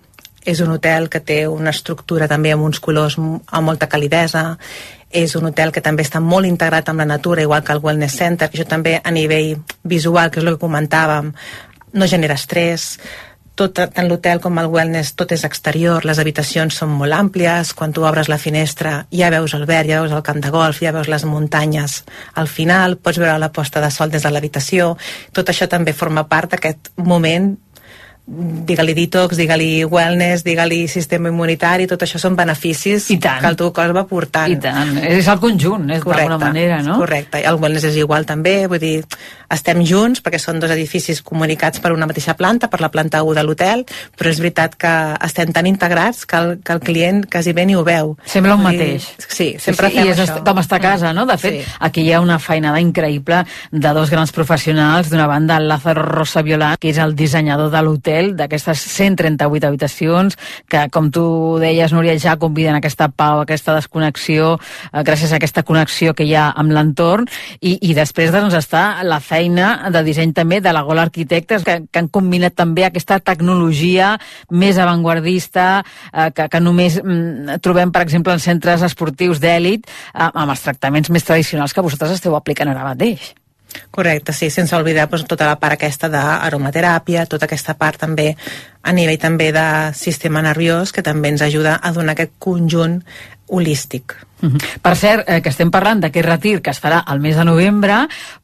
és un hotel que té una estructura també amb uns colors amb molta calidesa, és un hotel que també està molt integrat amb la natura, igual que el Wellness Center, que això també a nivell visual, que és el que comentàvem, no genera estrès. Tant l'hotel com el wellness, tot és exterior, les habitacions són molt àmplies, quan tu obres la finestra ja veus el verd, ja veus el camp de golf, ja veus les muntanyes al final, pots veure la posta de sol des de l'habitació. Tot això també forma part d'aquest moment, digue-li detox, digue-li wellness, digue-li sistema immunitari, tot això són beneficis que el teu cos va portant. I tant, és el conjunt, d'alguna manera, no? Correcte, el wellness és igual també, vull dir, estem junts perquè són 2 edificis comunicats per una mateixa planta, per la planta 1 de l'hotel, però és veritat que estem tan integrats que el client quasi bé ni ho veu. Sembla un mateix. Sí, sempre fem això. Com està a casa, no? De fet, aquí hi ha una feinada increïble de 2 grans professionals, d'una banda el Lázaro Rosa Violant, que és el dissenyador de l'hotel, d'aquestes 138 habitacions que, com tu deies, Núria, ja conviden a aquesta pau, a aquesta desconnexió, gràcies a aquesta connexió que hi ha amb l'entorn, i després doncs està la feina de disseny també de la Gola Arquitectes, que han combinat també aquesta tecnologia més avantguardista que només trobem, per exemple, en centres esportius d'èlit, amb els tractaments més tradicionals que vosaltres esteu aplicant ara mateix. Correcte, sí, sense oblidar tota la part aquesta d'aromateràpia, tota aquesta part també a nivell també de sistema nerviós, que també ens ajuda a donar aquest conjunt holístic. Per cert, que estem parlant d'aquest retir que es farà al mes de novembre,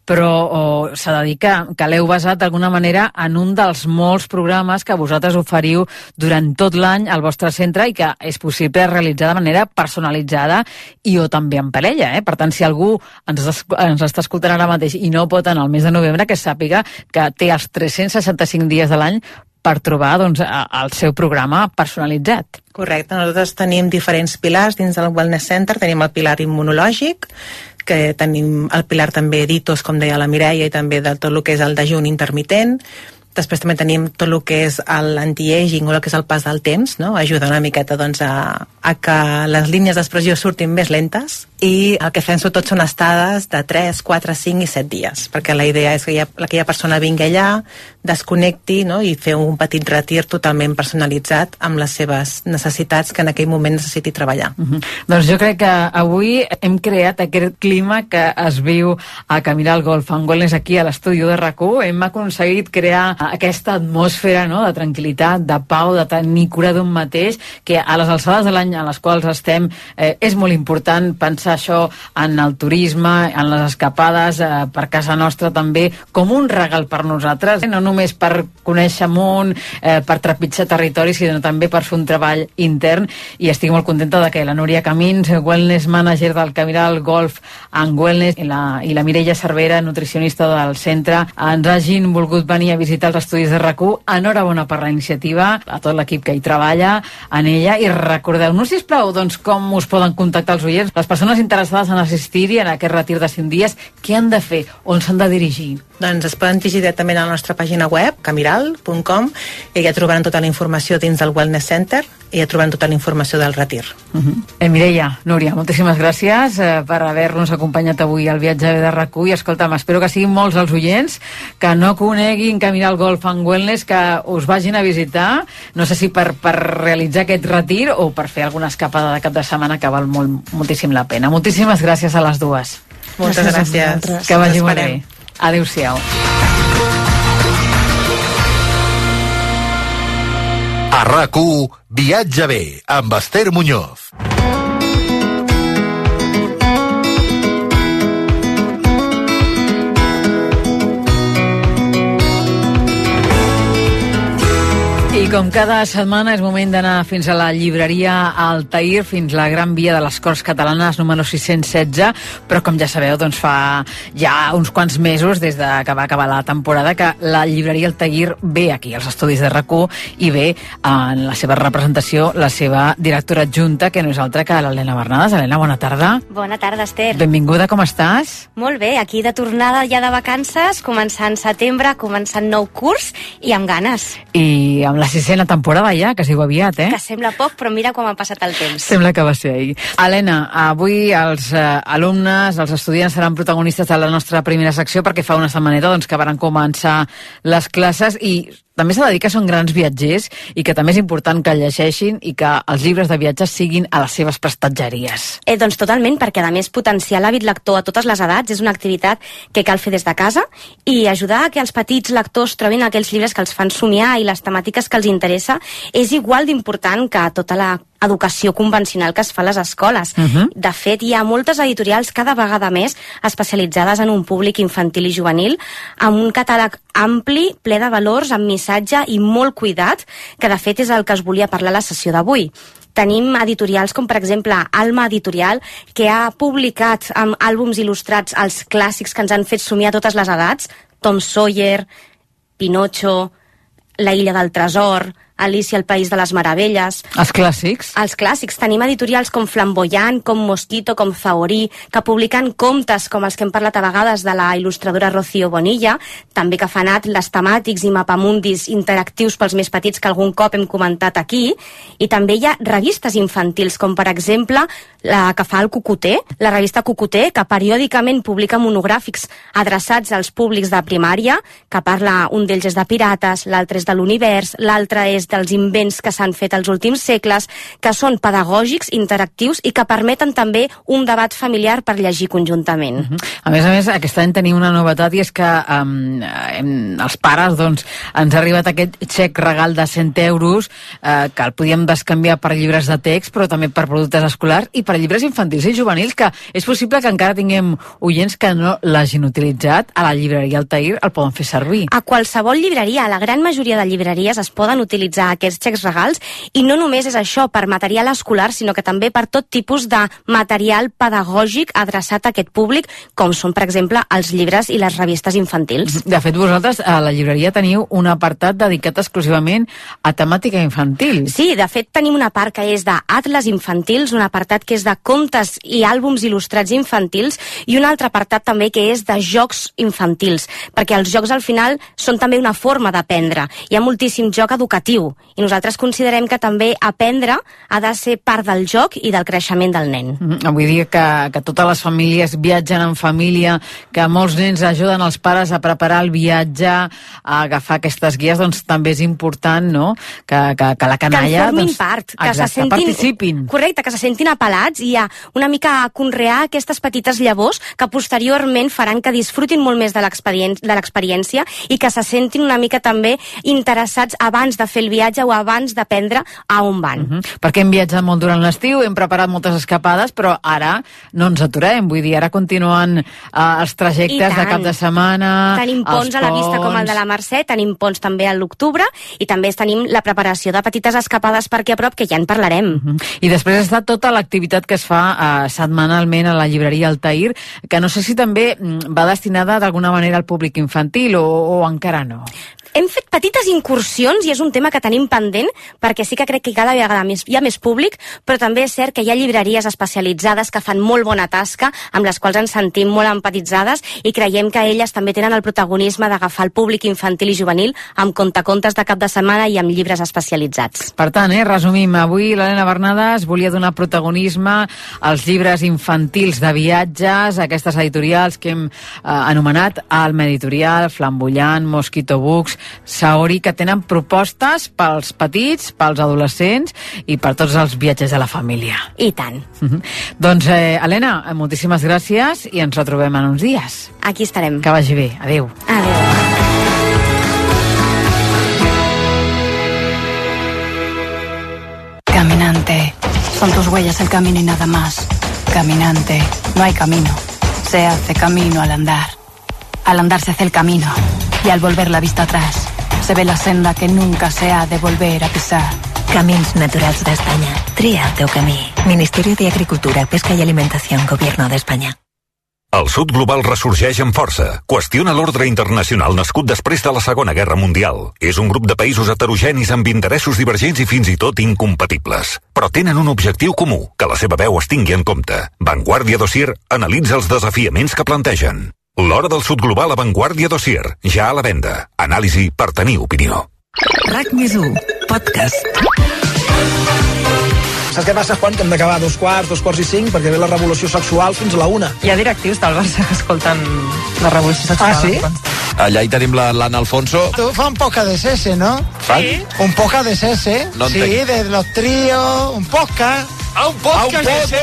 però s'ha de dir que l'heu basat d'alguna manera en un dels molts programes que vosaltres oferiu durant tot l'any al vostre centre i que és possible realitzar de manera personalitzada i o també en parella. Per tant, si algú ens està escoltant ara mateix i no pot anar al mes de novembre, que sàpiga que té els 365 dies de l'any per trobar el seu programa personalitzat. Correcte, nosaltres tenim diferents pilars dins del Wellness Center. Tenim el pilar immunològic, que tenim el pilar també detox, com deia la Mireia, i també de tot el que és el dejuni intermitent. Després també tenim tot el que és l'anti-aging o el que és el pas del temps, no? Ajuda una miqueta a que les línies d'expressió surtin més lentes, i el que fem sobretot són estades de 3, 4, 5 i 7 dies, perquè la idea és que aquella persona vingui allà, desconnecti, no? I fer un petit retir totalment personalitzat amb les seves necessitats que en aquell moment necessiti treballar. Doncs jo crec que avui hem creat aquest clima que es viu a Camiral Golf and Wellness aquí a l'estudi de RAC1. Hem aconseguit crear aquesta atmosfera, no?, de tranquil·litat, de pau, de tenir cura d'un mateix, que a les alçades de l'any a les quals estem és molt important pensar això en el turisme, en les escapades per casa nostra també, com un regal per nosaltres, no només per conèixer món, per trepitjar territori, sinó també per fer un treball intern, i estic molt contenta de que la Núria Camins, wellness manager del Camiral Golf and Wellness, i la Mireia Cervera, nutricionista del centre, ens hagin volgut venir a visitar els estudis de RAC1. Enhorabona per la iniciativa, a tot l'equip que hi treballa en ella, i recordeu-nos, sisplau, doncs, com us poden contactar els oients, les persones interessades en assistir-hi en aquest retir de 5 dies, què han de fer, on s'han de dirigir? Doncs es poden dirigir directament a la nostra pàgina web, camiral.com, i ja trobaran tota la informació dins del Wellness Center, i ja trobaran tota la informació del retir. Mireia, Núria, moltíssimes gràcies per haver-nos acompanyat avui al viatge de RAC1, i escolta'm, espero que siguin molts els oients que no coneguin Camiral Golf and Wellness, que us vagin a visitar, no sé si per realitzar aquest retir o per fer alguna escapada de cap de setmana, que val moltíssim la pena. Moltíssimes gràcies a les dues. Moltes gràcies. Que vagi molt bé. Adéu-siau. A RAC1, Viatge bé, amb Esther Muñoz. I com cada setmana és moment d'anar fins a la llibreria Altair, fins la Gran Via de les Corts Catalanes, número 616, però com ja sabeu, doncs fa ja uns quants mesos, des de que va acabar la temporada, que la llibreria Altair ve aquí, als estudis de RAC1, i ve en la seva representació la seva directora adjunta, que no és altra que l'Helena Bernades. Helena, bona tarda. Bona tarda, Esther. Benvinguda, com estàs? Molt bé, aquí de tornada ja de vacances, començant setembre, començant nou curs, i amb ganes. I amb la 6ª temporada ja, que es diu aviat, Que sembla poc, però mira com ha passat el temps. Sembla que va ser ahir. Helena, avui els alumnes, els estudiants seran protagonistes de la nostra primera secció, perquè fa una setmaneta doncs, que van començar les classes, i també s'ha de dir que són grans viatgers i que també és important que llegeixin i que els llibres de viatges siguin a les seves prestatgeries. Doncs totalment, perquè a més potenciar l'hàbit lector a totes les edats és una activitat que cal fer des de casa, i ajudar a que els petits lectors trobin aquells llibres que els fan somiar i les temàtiques que els interessa és igual d'important que tota la educació convencional que es fa a les escoles. De fet, hi ha moltes editorials cada vegada més especialitzades en un públic infantil i juvenil, amb un catàleg ampli, ple de valors, amb missatge i molt cuidat, que de fet és el que es volia parlar a la sessió d'avui. Tenim editorials com, per exemple, Alma Editorial, que ha publicat amb àlbums il·lustrats els clàssics que ens han fet somiar a totes les edats, Tom Sawyer, Pinocho, La Illa del Tresor, Alicia al País de les Meravelles. Els clàssics? Els clàssics. Tenim editorials com Flamboyant, com Mosquito, com Zahorí, que publiquen contes com els que hem parlat a vegades de la il·lustradora Rocío Bonilla, també que fan atles temàtics i mapamundis interactius pels més petits que algun cop hem comentat aquí, i també hi ha revistes infantils, com per exemple la que fa el Cucuter, la revista Cucuter, que periòdicament publica monogràfics adreçats als públics de primària, que parla, un d'ells és de pirates, l'altre és de l'univers, l'altre és dels invents que s'han fet als últims segles, que són pedagògics, interactius i que permeten també un debat familiar per llegir conjuntament. A més, aquest any tenim una novetat, i és que els pares, doncs, ens ha arribat aquest xec regal de 100 euros que el podíem bescanviar per llibres de text, però també per productes escolars i per llibres infantils i juvenils, que és possible que encara tinguem oients que no l'hagin utilitzat. A la llibreria Altair el poden fer servir. A qualsevol llibreria, a la gran majoria de llibreries es poden utilitzar aquests xecs regals, i no només és això per material escolar, sinó que també per tot tipus de material pedagògic adreçat a aquest públic, com són, per exemple, els llibres i les revistes infantils. De fet, vosaltres a la llibreria teniu un apartat dedicat exclusivament a temàtica infantil. Sí, de fet tenim una part que és d'atles infantils, un apartat que és de contes i àlbums il·lustrats infantils, i un altre apartat també que és de jocs infantils, perquè els jocs al final són també una forma d'aprendre. Hi ha moltíssim joc educatiu, viure-ho. I nosaltres considerem que també aprendre ha de ser part del joc i del creixement del nen. Vull dir que totes les famílies viatgen en família, que molts nens ajuden els pares a preparar el viatge, a agafar aquestes guies, doncs també és important, no?, que la canalla... Que en formin part, que se sentin... participin. Correcte, que se sentin apel·lats i a una mica a conrear aquestes petites llavors que posteriorment faran que disfrutin molt més de l'experiència i que se sentin una mica també interessats abans de fer el viatge o abans d'aprendre a on van. Perquè hem viatjat molt durant l'estiu, hem preparat moltes escapades, però ara no ens aturem, vull dir, ara continuen els trajectes de cap de setmana, tenim ponts a la vista com el de la Mercè, tenim ponts també a l'octubre i també tenim la preparació de petites escapades per aquí a prop, que ja en parlarem. I després està tota l'activitat que es fa setmanalment a la llibreria Altair, que no sé si també va destinada d'alguna manera al públic infantil o encara no. Hem fet petites incursions i és un tema que tenim pendent perquè sí que crec que cada vegada hi ha més públic, però també és cert que hi ha llibreries especialitzades que fan molt bona tasca, amb les quals ens sentim molt empatitzades i creiem que elles també tenen el protagonisme d'agafar el públic infantil i juvenil amb contacontes de cap de setmana i amb llibres especialitzats. Per tant, resumim, avui l'Helena Bernades volia donar protagonisme als llibres infantils de viatges, aquestes editorials que hem anomenat Alma Editorial, Flambollant, Mosquito Books, Saori, que tenen propostes pels petits, pels adolescents i per tots els viatges de la família. I tant. Doncs, Helena, moltíssimes gràcies i ens retrobem en uns dies. Aquí estarem. Que vagi bé. Adéu. Adéu. Caminante, son tus huellas el camino y nada más. Caminante, no hay camino. Se hace camino al andar. Al andar se hace el camino. Y al volver la vista atrás, se ve la senda que nunca se ha de volver a pisar. Camins Naturals d'Espanya. Tria el teu camí. Ministerio de Agricultura, Pesca y Alimentación, Gobierno de España. El sud global ressorgeix amb força. Qüestiona l'ordre internacional nascut després de la Segona Guerra Mundial. És un grup de països heterogenis amb interessos divergents i fins i tot incompatibles. Però tenen un objectiu comú, que la seva veu es tingui en compte. Vanguardia Dossier analitza els desafiaments que plantegen. L'hora del sud global a Vanguardia Dossier, ja a la venda. Anàlisi per tenir opinió. RAC+1, podcast. Saps què passa, Juan? Que hem d'acabar a 2:45, perquè ve la revolució sexual fins a la 1. Hi ha directius del Barça que escolten la revolució sexual. Ah, sí? Allà hi tenim l'Anna Alfonso. Tu fa un poca de sese, ¿no? Sí. Un poca de sese. No sí, de los tríos, un podcast. Un podcast de sese.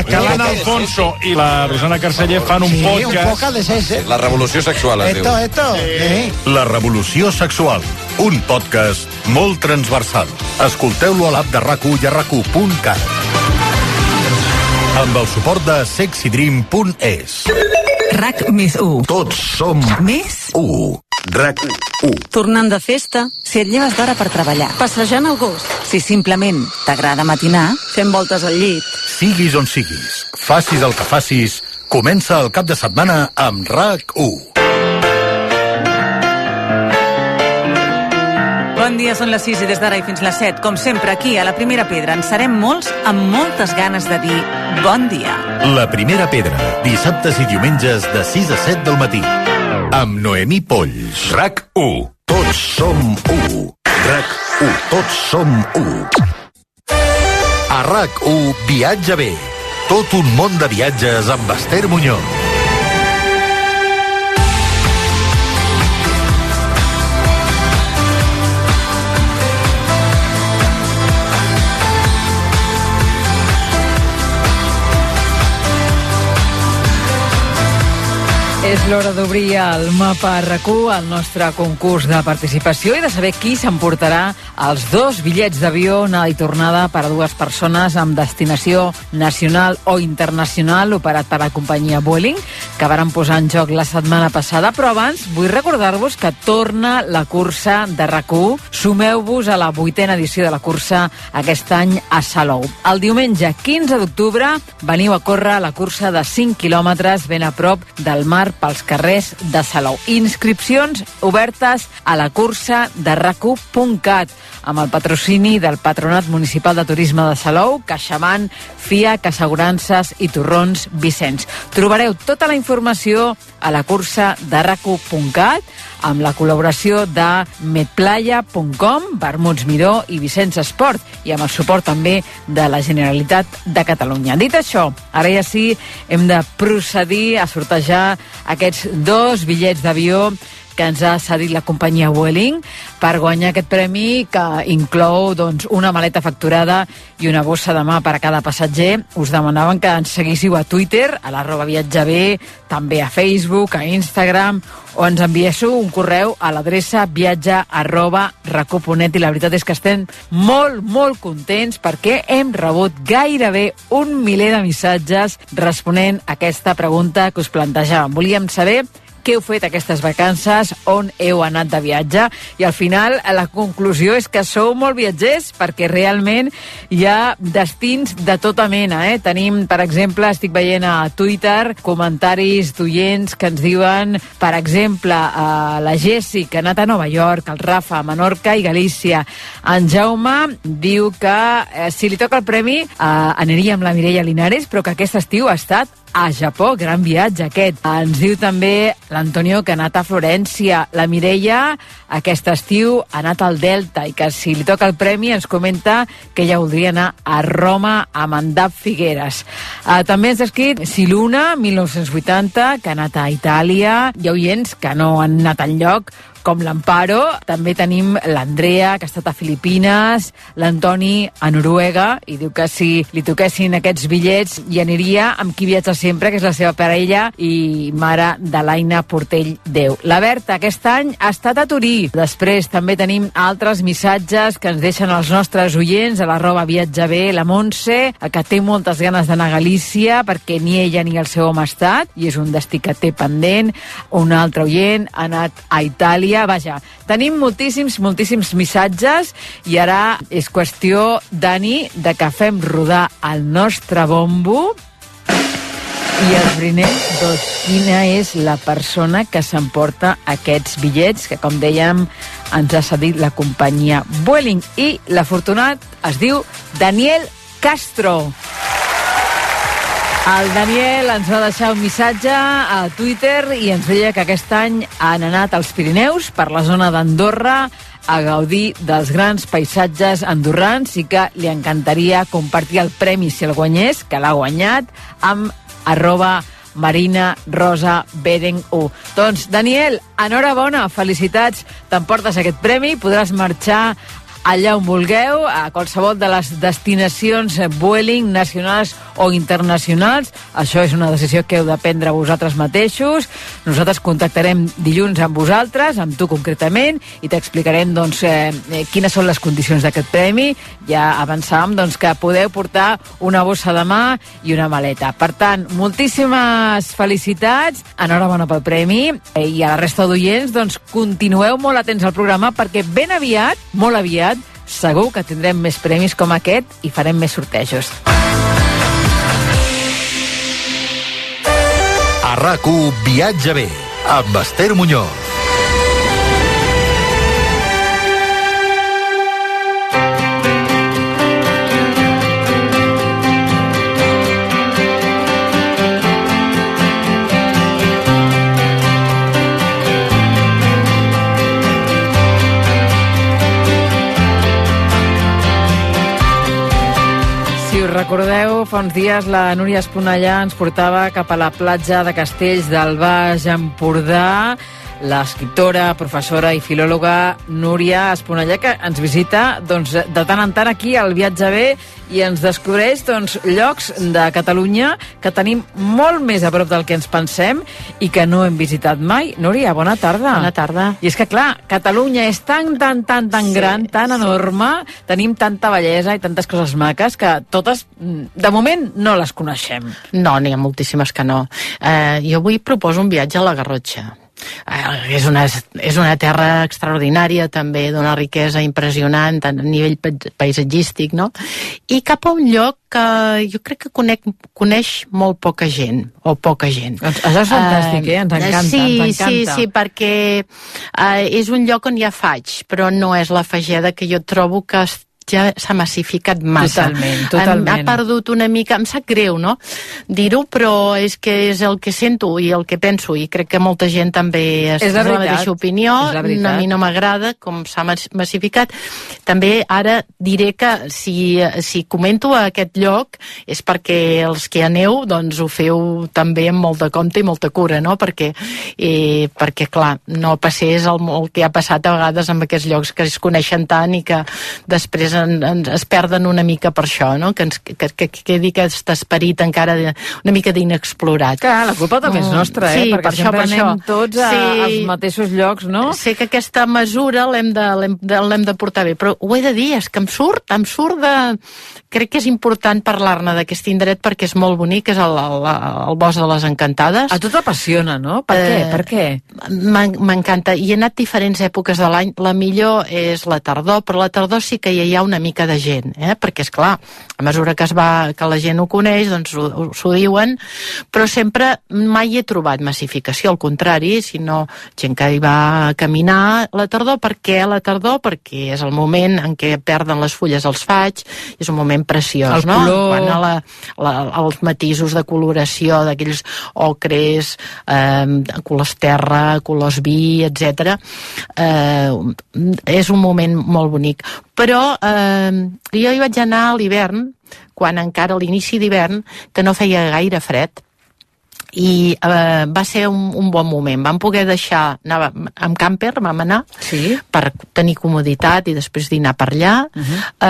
Que l'Anna Alfonso i la Rosana Carceller fan un podcast. Sí, un podcast de sese. La revolució sexual, es diu. Esto. Sí. La revolució sexual. Un podcast molt transversal. Escolteu-lo a l'app de RAC1 i a RAC1.cat. Amb el suport de sexydream.es. RAC+1. Tots som més 1. RAC1. Tornant de festa, si et lleves d'hora per treballar. Passejant el gos. Si simplement t'agrada matinar, fent voltes al llit. Siguis on siguis, facis el que facis, comença el cap de setmana amb RAC1. Bon dia, són les 6 i des d'ara i fins les 7. Com sempre, aquí, a la Primera Pedra, en serem molts amb moltes ganes de dir bon dia. La Primera Pedra, dissabtes i diumenges de 6 a 7 del matí. Amb Noemí Polls. RAC1. Tots som 1. RAC1. Tots som 1. A RAC1, viatja bé. Tot un món de viatges amb Esther Muñoz. És l'hora d'obrir el mapa RAC1, el nostre concurs de participació, i de saber qui s'emportarà els 2 bitllets d'avió anada i tornada per a 2 persones amb destinació nacional o internacional operat per la companyia Vueling, que varen posar en joc la setmana passada. Però abans vull recordar-vos que torna la cursa de RAC1. Sumeu-vos a la 8a edició de la cursa aquest any a Salou. El diumenge 15 d'octubre veniu a córrer la cursa de 5 quilòmetres ben a prop del mar pels als carrers de Salou. Inscripcions obertes a la cursa de RAC1.cat amb el patrocini del Patronat Municipal de Turisme de Salou, CaixaBank, FIAC, Assegurances i Torrons Vicenç. Trobareu tota la informació a la cursa de RAC1.cat amb la col·laboració de medplaya.com, Vermuts Miró i Vicenç Esport i amb el suport també de la Generalitat de Catalunya. Dit això, ara ja sí hem de procedir a sortejar aquests 2 bitllets d'avió que ens ha cedit la companyia Vueling per guanyar aquest premi que inclou una maleta facturada i una bossa de mà per a cada passatger. Us demanaven que ens seguíssiu a Twitter, a @viatjaber, també a Facebook, a Instagram, o ens enviéssiu un correu a l'adreça viatge@rac1.net i la veritat és que estem molt contents perquè hem rebut gairebé 1 miler de missatges responent a aquesta pregunta que us plantejàvem. Volíem saber què heu fet aquestes vacances, on heu anat de viatge, i al final la conclusió és que sou molt viatgers perquè realment hi ha destins de tota mena. Tenim, per exemple, estic veient a Twitter comentaris d'oients que ens diuen, per exemple, la Jessi, que ha anat a Nova York, el Rafa a Menorca i Galícia. En Jaume diu que si li toca el premi aniria amb la Mireia Linares, però que aquest estiu ha estat a Japó, gran viatge aquest. Ens diu també l'Antonio que ha anat a Florència. La Mireia aquest estiu ha anat al Delta i que si li toca el premi ens comenta que ja voldria anar a Roma amb en Dap Figueres. També ens ha escrit Siluna, 1980, que ha anat a Itàlia. Hi ha oients que no han anat enlloc, com l'Amparo. També tenim l'Andrea, que ha estat a Filipines, l'Antoni a Noruega, i diu que si li toquessin aquests bitllets hi aniria amb qui viatja sempre, que és la seva parella i mare de l'Aina Portell Déu. La Berta aquest any ha estat a Turí. Després també tenim altres missatges que ens deixen els nostres oients a @viatjaber, la Montse, que té moltes ganes d'anar a Galícia perquè ni ella ni el seu home ha estat i és un destí que té pendent. Un altre oient ha anat a Itàlia. Vaja, tenim moltíssims missatges i ara és qüestió, Dani, de que fem rodar el nostre bombo i esbrinem quina és la persona que s'emporta aquests bitllets que, com dèiem, ens ha cedit la companyia Vueling. I l'afortunat es diu Daniel Castro. El Daniel ens va deixar un missatge a Twitter i ens deia que aquest any han anat als Pirineus, per la zona d'Andorra, a gaudir dels grans paisatges andorrans i que li encantaria compartir el premi si el guanyés, que l'ha guanyat, amb @MarinaRosaBeren1. Doncs, Daniel, enhorabona, felicitats, t'emportes aquest premi, podràs marxar allà on vulgueu, a qualsevol de les destinacions Vueling nacionals o internacionals. Això és una decisió que heu de prendre vosaltres mateixos. Nosaltres contactarem dilluns amb vosaltres, amb tu concretament, i t'explicarem quines són les condicions d'aquest premi. Ja avançàvem que podeu portar una bossa de mà i una maleta. Per tant, moltíssimes felicitats, enhorabona pel premi, i a la resta d'oients, continueu molt atents al programa perquè ben aviat, molt aviat, segur que tindrem més premis com aquest i farem més sortejos. A RAC1 Viatja Bé, amb Esther Muñoz. Recordeu, fa uns dies la Núria Esponellà ens portava cap a la platja de Castells del Baix Empordà, l'escriptora, professora i filòloga Núria Esponellà, que ens visita de tant en tant aquí al Viatge Bé i ens descobreix llocs de Catalunya que tenim molt més a prop del que ens pensem i que no hem visitat mai. Núria, bona tarda. Bona tarda. I és que, clar, Catalunya és tan gran, tan enorme, tenim tanta bellesa i tantes coses maques que totes, de moment, no les coneixem. No, n'hi ha moltíssimes que no. Jo avui proposo un viatge a la Garrotxa. És una terra extraordinària, també d'una riquesa impressionant a nivell paisatgístic, no? I cap a un lloc que jo crec que coneix molt poca gent, o poca gent. Això és fantàstic, ens encanta, ens encanta. Sí, perquè és un lloc on ja faig, però no és la fageda que jo trobo que ja s'ha massificat massa. Totalment. Ha perdut una mica, em sap greu, no?, dir-ho, però és que és el que sento i el que penso, i crec que molta gent també és la mateixa opinió. A mi no m'agrada com s'ha massificat. També ara diré que si comento a aquest lloc és perquè els que aneu doncs ho feu també amb molt de compte i molta cura, no?, perquè clar, no passés el que ha passat a vegades amb aquests llocs que es coneixen tant i que després es perden una mica per això, no?, que quedi aquest esperit encara una mica d'inexplorat. Clar, la culpa també és nostra, perquè sempre anem tots als mateixos llocs, no? Sé que aquesta mesura l'hem de portar bé, però ho he de dir, és que em surt de... Crec que és important parlar-ne d'aquest indret perquè és molt bonic, és el Bosc de les Encantades. A tu t'apassiona, no? Per què? M'encanta, i he anat diferents èpoques de l'any. La millor és la tardor, però la tardor sí que hi ha una mica de gent, perquè és clar, a mesura que la gent ho coneix, doncs s'ho diuen, però sempre mai he trobat massificació, al contrari, sinó gent que hi va a caminar la tardor. Per què la tardor? Perquè és el moment en què perden les fulles els faigs, és un moment preciós, no? Quan els matisos de coloració d'aquells ocres, colors terra, colors vi, etc. És un moment molt bonic. Però jo hi vaig anar a l'hivern, quan encara a l'inici d'hivern, que no feia gaire fred, i va ser un bon moment. Vam poder anar amb camper, vam anar per tenir comoditat i després dinar per allà.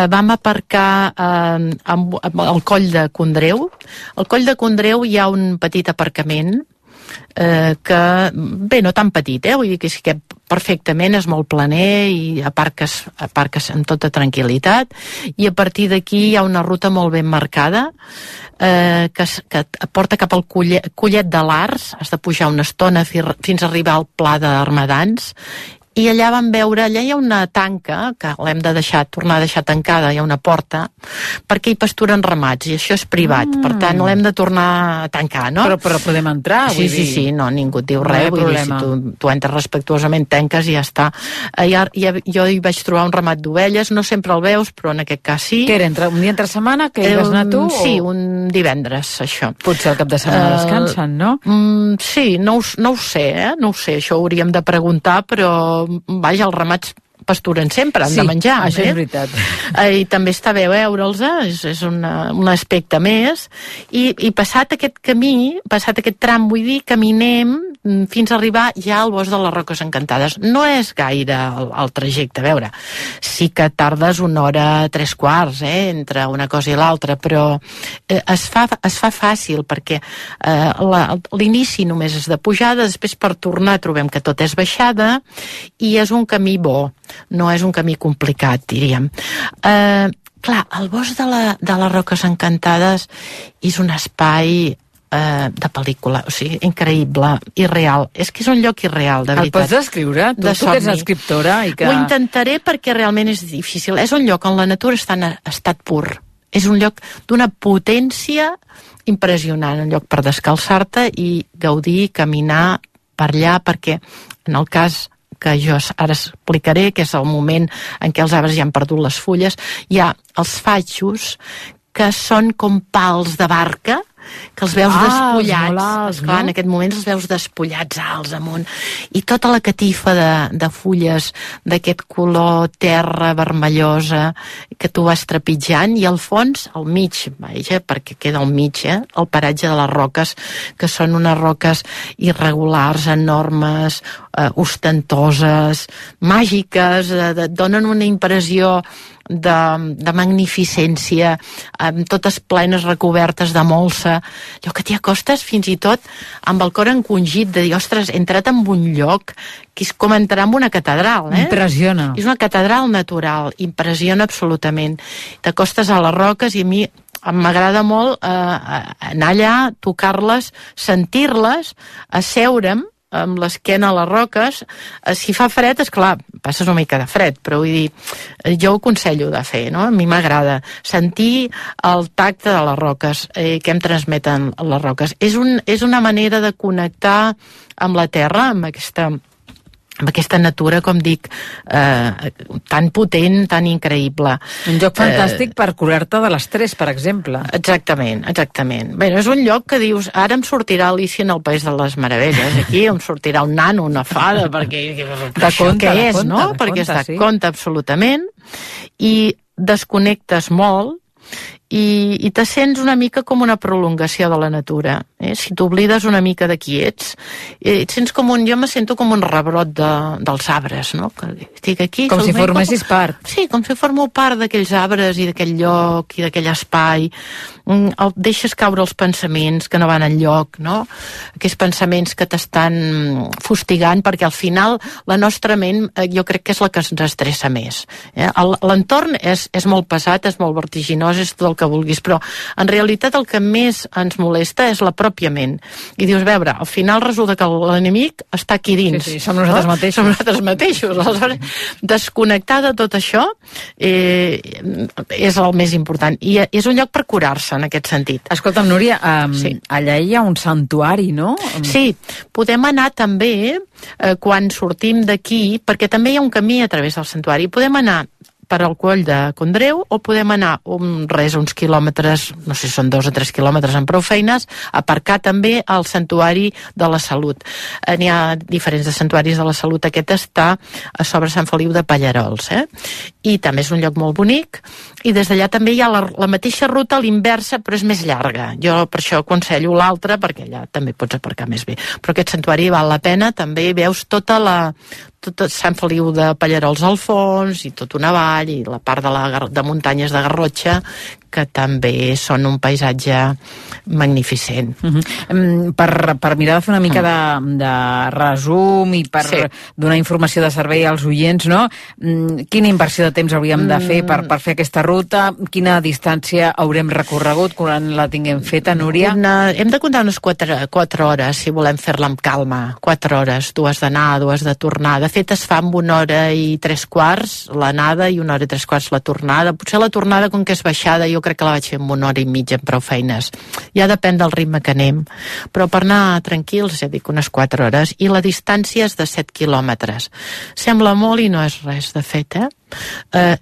Vam aparcar al Coll de Condreu. Al Coll de Condreu hi ha un petit aparcament que, bé, no tan petit, vull dir que sí que perfectament, és molt planer i aparques amb tota tranquil·litat, i a partir d'aquí hi ha una ruta molt ben marcada que et porta cap al Collet de l'Arç. Has de pujar una estona fins a arribar al Pla d'Armadans, i allà vam veure, allà hi ha una tanca que l'hem de tornar a deixar tancada, hi ha una porta, perquè hi pasturen ramats, i això és privat, per tant l'hem de tornar a tancar, no? Però podem entrar, vull dir. Sí, no, ningú et diu res, vull dir, si tu entres respectuosament, tanques i ja està. Jo hi vaig trobar un ramat d'ovelles, no sempre el veus, però en aquest cas sí. Què era, un dia entre setmana que hi vas anar tu? Sí, un divendres, això. Potser el cap de setmana descansen, no? Sí, no ho sé, no ho sé, això ho hauríem de preguntar, però vaja, els ramats pasturen sempre, han de menjar. Sí, això és veritat. I també està bé veure'ls, és un aspecte més, i passat aquest camí, passat aquest tram, vull dir, caminem fins a arribar ja al Bosc de les Roques Encantades. No és gaire el trajecte, a veure, sí que tardes 1 hora 3/4, entre una cosa i l'altra, però es fa fàcil, perquè l'inici només és de pujada, després per tornar trobem que tot és baixada, i és un camí bo, no és un camí complicat, diríem. Clar, el Bosc de les Roques Encantades és un espai de pel·lícula, o sigui, increïble, irreal. És que és un lloc irreal, de veritat. El pots descriure? Tu que ets escriptora i que... Ho intentaré perquè realment és difícil. És un lloc on la natura està en estat pur. És un lloc d'una potència impressionant, un lloc per descalçar-te i gaudir, caminar per allà, perquè en el cas que jo ara explicaré, que és el moment en què els arbres ja han perdut les fulles, hi ha els faixos que són com pals de barca, que els veus despullats, esclar, en aquest moment els veus despullats alts amunt, i tota la catifa de fulles d'aquest color terra vermellosa que tu vas trepitjant, i al fons, al mig, perquè queda al mig, el paratge de les roques, que són unes roques irregulars, enormes, ostentoses, màgiques, donen una impressió de magnificència, totes plenes recobertes de molsa, allò que t'hi acostes fins i tot amb el cor encongit de dir, ostres, he entrat en un lloc que és com entrar en una catedral, Impressiona. És una catedral natural, impressiona absolutament. T'acostes a les roques i a mi m'agrada molt anar allà, tocar-les, sentir-les, asseure'm, amb l'esquena a les roques. Si fa fred, esclar, passes una mica de fred, però vull dir, jo ho aconsello de fer, no? A mi m'agrada sentir el tacte de les roques, que em transmeten les roques. És una manera de connectar amb la terra, amb aquesta natura, com dic, tan potent, tan increïble. Un lloc fantàstic per curar-te de l'estrès, per exemple. Exactament. Bé, és un lloc que dius, ara em sortirà Alicia en el País de les Meravelles, aquí em sortirà un nano, una fada, perquè què és, no? Perquè es da compte absolutament, i desconnectes molt, i te sents una mica com una prolongació de la natura. Si t'oblides una mica de qui ets, et sents jo me sento com un rebrot dels arbres, no? Que estic aquí... Com si formessis part. Sí, com si formo part d'aquells arbres i d'aquell lloc i d'aquell espai. Deixes caure els pensaments que no van enlloc, no? Aquells pensaments que t'estan fustigant, perquè al final la nostra ment jo crec que és la que ens estressa més. L'entorn és molt pesat, és molt vertiginós, és tot el que vulguis, però en realitat el que més ens molesta és la pròpia ment. I dius, veure, al final resulta que l'enemic està aquí dins. Sí, som nosaltres mateixos. Som nosaltres mateixos. Aleshores, desconnectar de tot això és el més important. I és un lloc per curar-se, en aquest sentit. Escolta'm, Núria, allà hi ha un santuari, no? Sí, podem anar també, quan sortim d'aquí, perquè també hi ha un camí a través del santuari, podem anar per al Coll de Condreu, o podem anar uns quilòmetres, no sé si són 2 o 3 quilòmetres amb prou feines, aparcar també al Santuari de la Salut. N'hi ha diferents de santuaris de la Salut. Aquest està a sobre Sant Feliu de Pallarols, i també és un lloc molt bonic, i des d'allà també hi ha la mateixa ruta a l'inversa, però és més llarga. Jo per això aconsello l'altra, perquè allà també pots aparcar més bé. Però aquest santuari val la pena, també veus tot Sant Feliu de Pallarols al fons, i tota una vall, i la part de muntanyes de Garrotxa, que també són un paisatge magnificent. Per mirar de fer una mica de resum i per donar informació de servei als oients, no? Quina inversió de temps hauríem de fer per fer aquesta ruta? Quina distància haurem recorregut quan la tinguem feta, Núria? Hem de comptar unes 4 hores, si volem fer-la amb calma. 4 hores, 2 d'anar, 2 de tornar. De fet, es fa amb 1 hora i 3/4 l'anada i 1 hora i 3/4 la tornada. Potser la tornada, com que és baixada, jo crec que la vaig fer en 1 hora i mitja amb prou feines. Ja depèn del ritme que anem. Però per anar tranquils, ja dic, unes 4 hores. I la distància és de 7 quilòmetres. Sembla molt i no és res, de fet,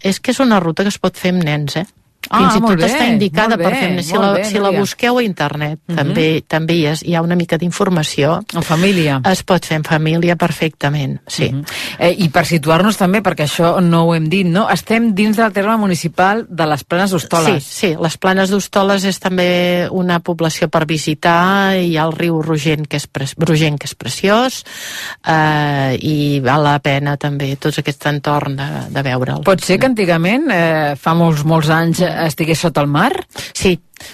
és que és una ruta que es pot fer amb nens, Fins i tot està indicada per fer. Si la busqueu a internet, també hi ha una mica d'informació. En família. Es pot fer en família perfectament, sí. I per situar-nos també, perquè això no ho hem dit, no? Estem dins del terme municipal de les Planes d'Hostoles. Sí, les Planes d'Hostoles és també una població per visitar. Hi ha el riu Rogent, que és preciós, i val la pena també tot aquest entorn de veure'l. Pot ser que antigament, fa molts anys, estigués sota el mar?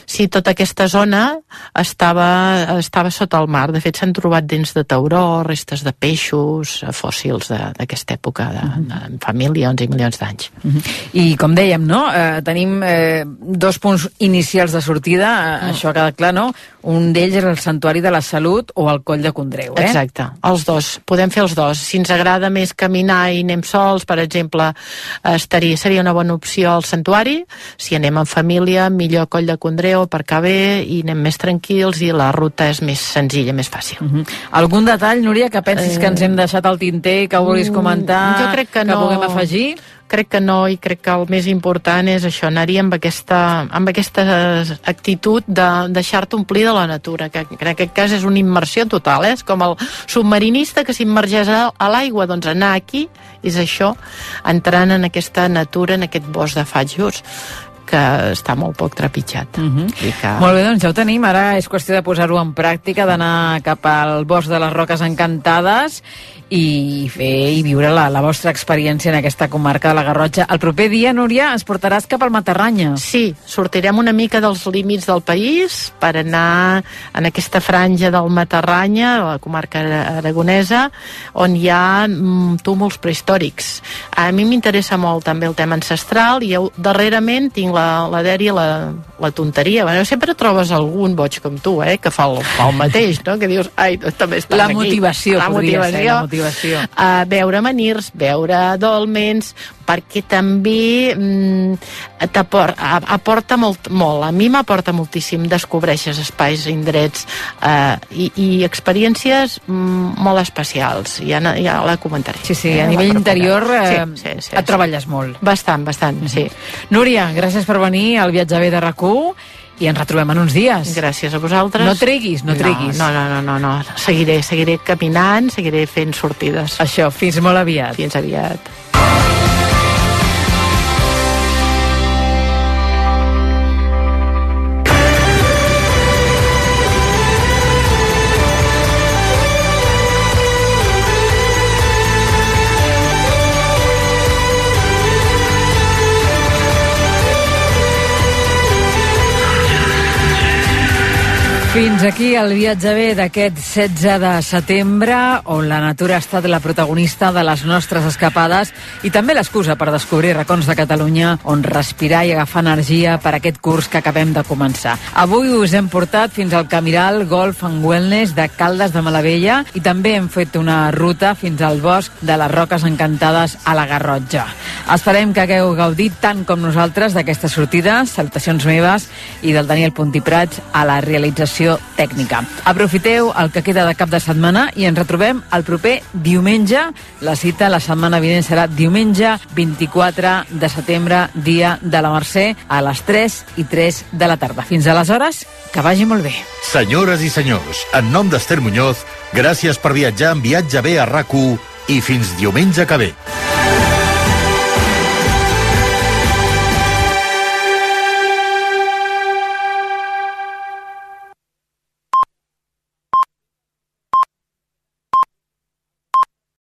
Sí, tota aquesta zona estava sota el mar. De fet, s'han trobat dents de tauró, restes de peixos, fòssils d'aquesta època, de fa milions i milions d'anys. I com dèiem, no? Tenim 2 punts inicials de sortida, això ha quedat clar, no? Un d'ells és el Santuari de la Salut o el Coll de Condreu, Exacte, els dos. Podem fer els dos. Si ens agrada més caminar i anem sols, per exemple, seria una bona opció al Santuari. Si anem en família, millor Coll de Condreu, aparcar bé, i anem més tranquils, i la ruta és més senzilla, més fàcil. Algun detall, Núria, que pensis que ens hem deixat al tinter, que vulguis comentar, jo crec que puguem afegir? Crec que no, i crec que el més important és això, anar-hi amb aquesta actitud de deixar-te omplir de la natura, que en aquest cas és una immersió total, és com el submarinista que s'immergeix a l'aigua. Doncs anar aquí és això, entrant en aquesta natura, en aquest bosc de fatjos, que està molt poc trepitjat. Molt bé, doncs ja ho tenim. Ara és qüestió de posar-ho en pràctica, d'anar cap al bosc de les Roques Encantades i fer i viure la vostra experiència en aquesta comarca de la Garrotxa. El proper dia, Núria, ens portaràs cap al Matarranya. Sí, sortirem una mica dels límits del país per anar en aquesta franja del Matarranya, la comarca aragonesa, on hi ha túmuls prehistòrics. A mi m'interessa molt també el tema ancestral, i darrerament tinc la Dèria, la tonteria. Bueno, sempre trobes algun boig com tu, que fa el mateix, no? Que dius, ai, també estàs la aquí. Motivació, La motivació. Veure menirs, veure dolmens, perquè també aporta molt. A mi m'aporta moltíssim. Descobreixes espais, indrets i experiències molt especials. Ja la comentaré. Sí, a nivell interior et treballes molt. Bastant, sí. Núria, gràcies per venir al Viatge bé de RAC1 i ens retrobem en uns dies. Gràcies a vosaltres. No treguis. No. Seguiré caminant, seguiré fent sortides. Això, fins molt aviat. Fins aviat. Fins aquí el viatge bé d'aquest 16 de setembre, on la natura ha estat la protagonista de les nostres escapades i també l'excusa per descobrir racons de Catalunya on respirar i agafar energia per aquest curs que acabem de començar. Avui us hem portat fins al Camiral Golf and Wellness de Caldes de Malavella i també hem fet una ruta fins al bosc de les Roques Encantades a la Garrotxa. Esperem que hagueu gaudit tant com nosaltres d'aquesta sortida. Salutacions meves i del Daniel Puntiprats a la realització tècnica. Aprofiteu el que queda de cap de setmana i ens retrobem el proper diumenge. La cita la setmana vinent serà diumenge 24 de setembre, dia de la Mercè, a les 3:03 de la tarda. Fins aleshores, que vagi molt bé. Senyores i senyors, en nom d'Ester Muñoz, gràcies per viatjar en Viatge bé a RAC1 i fins diumenge que ve.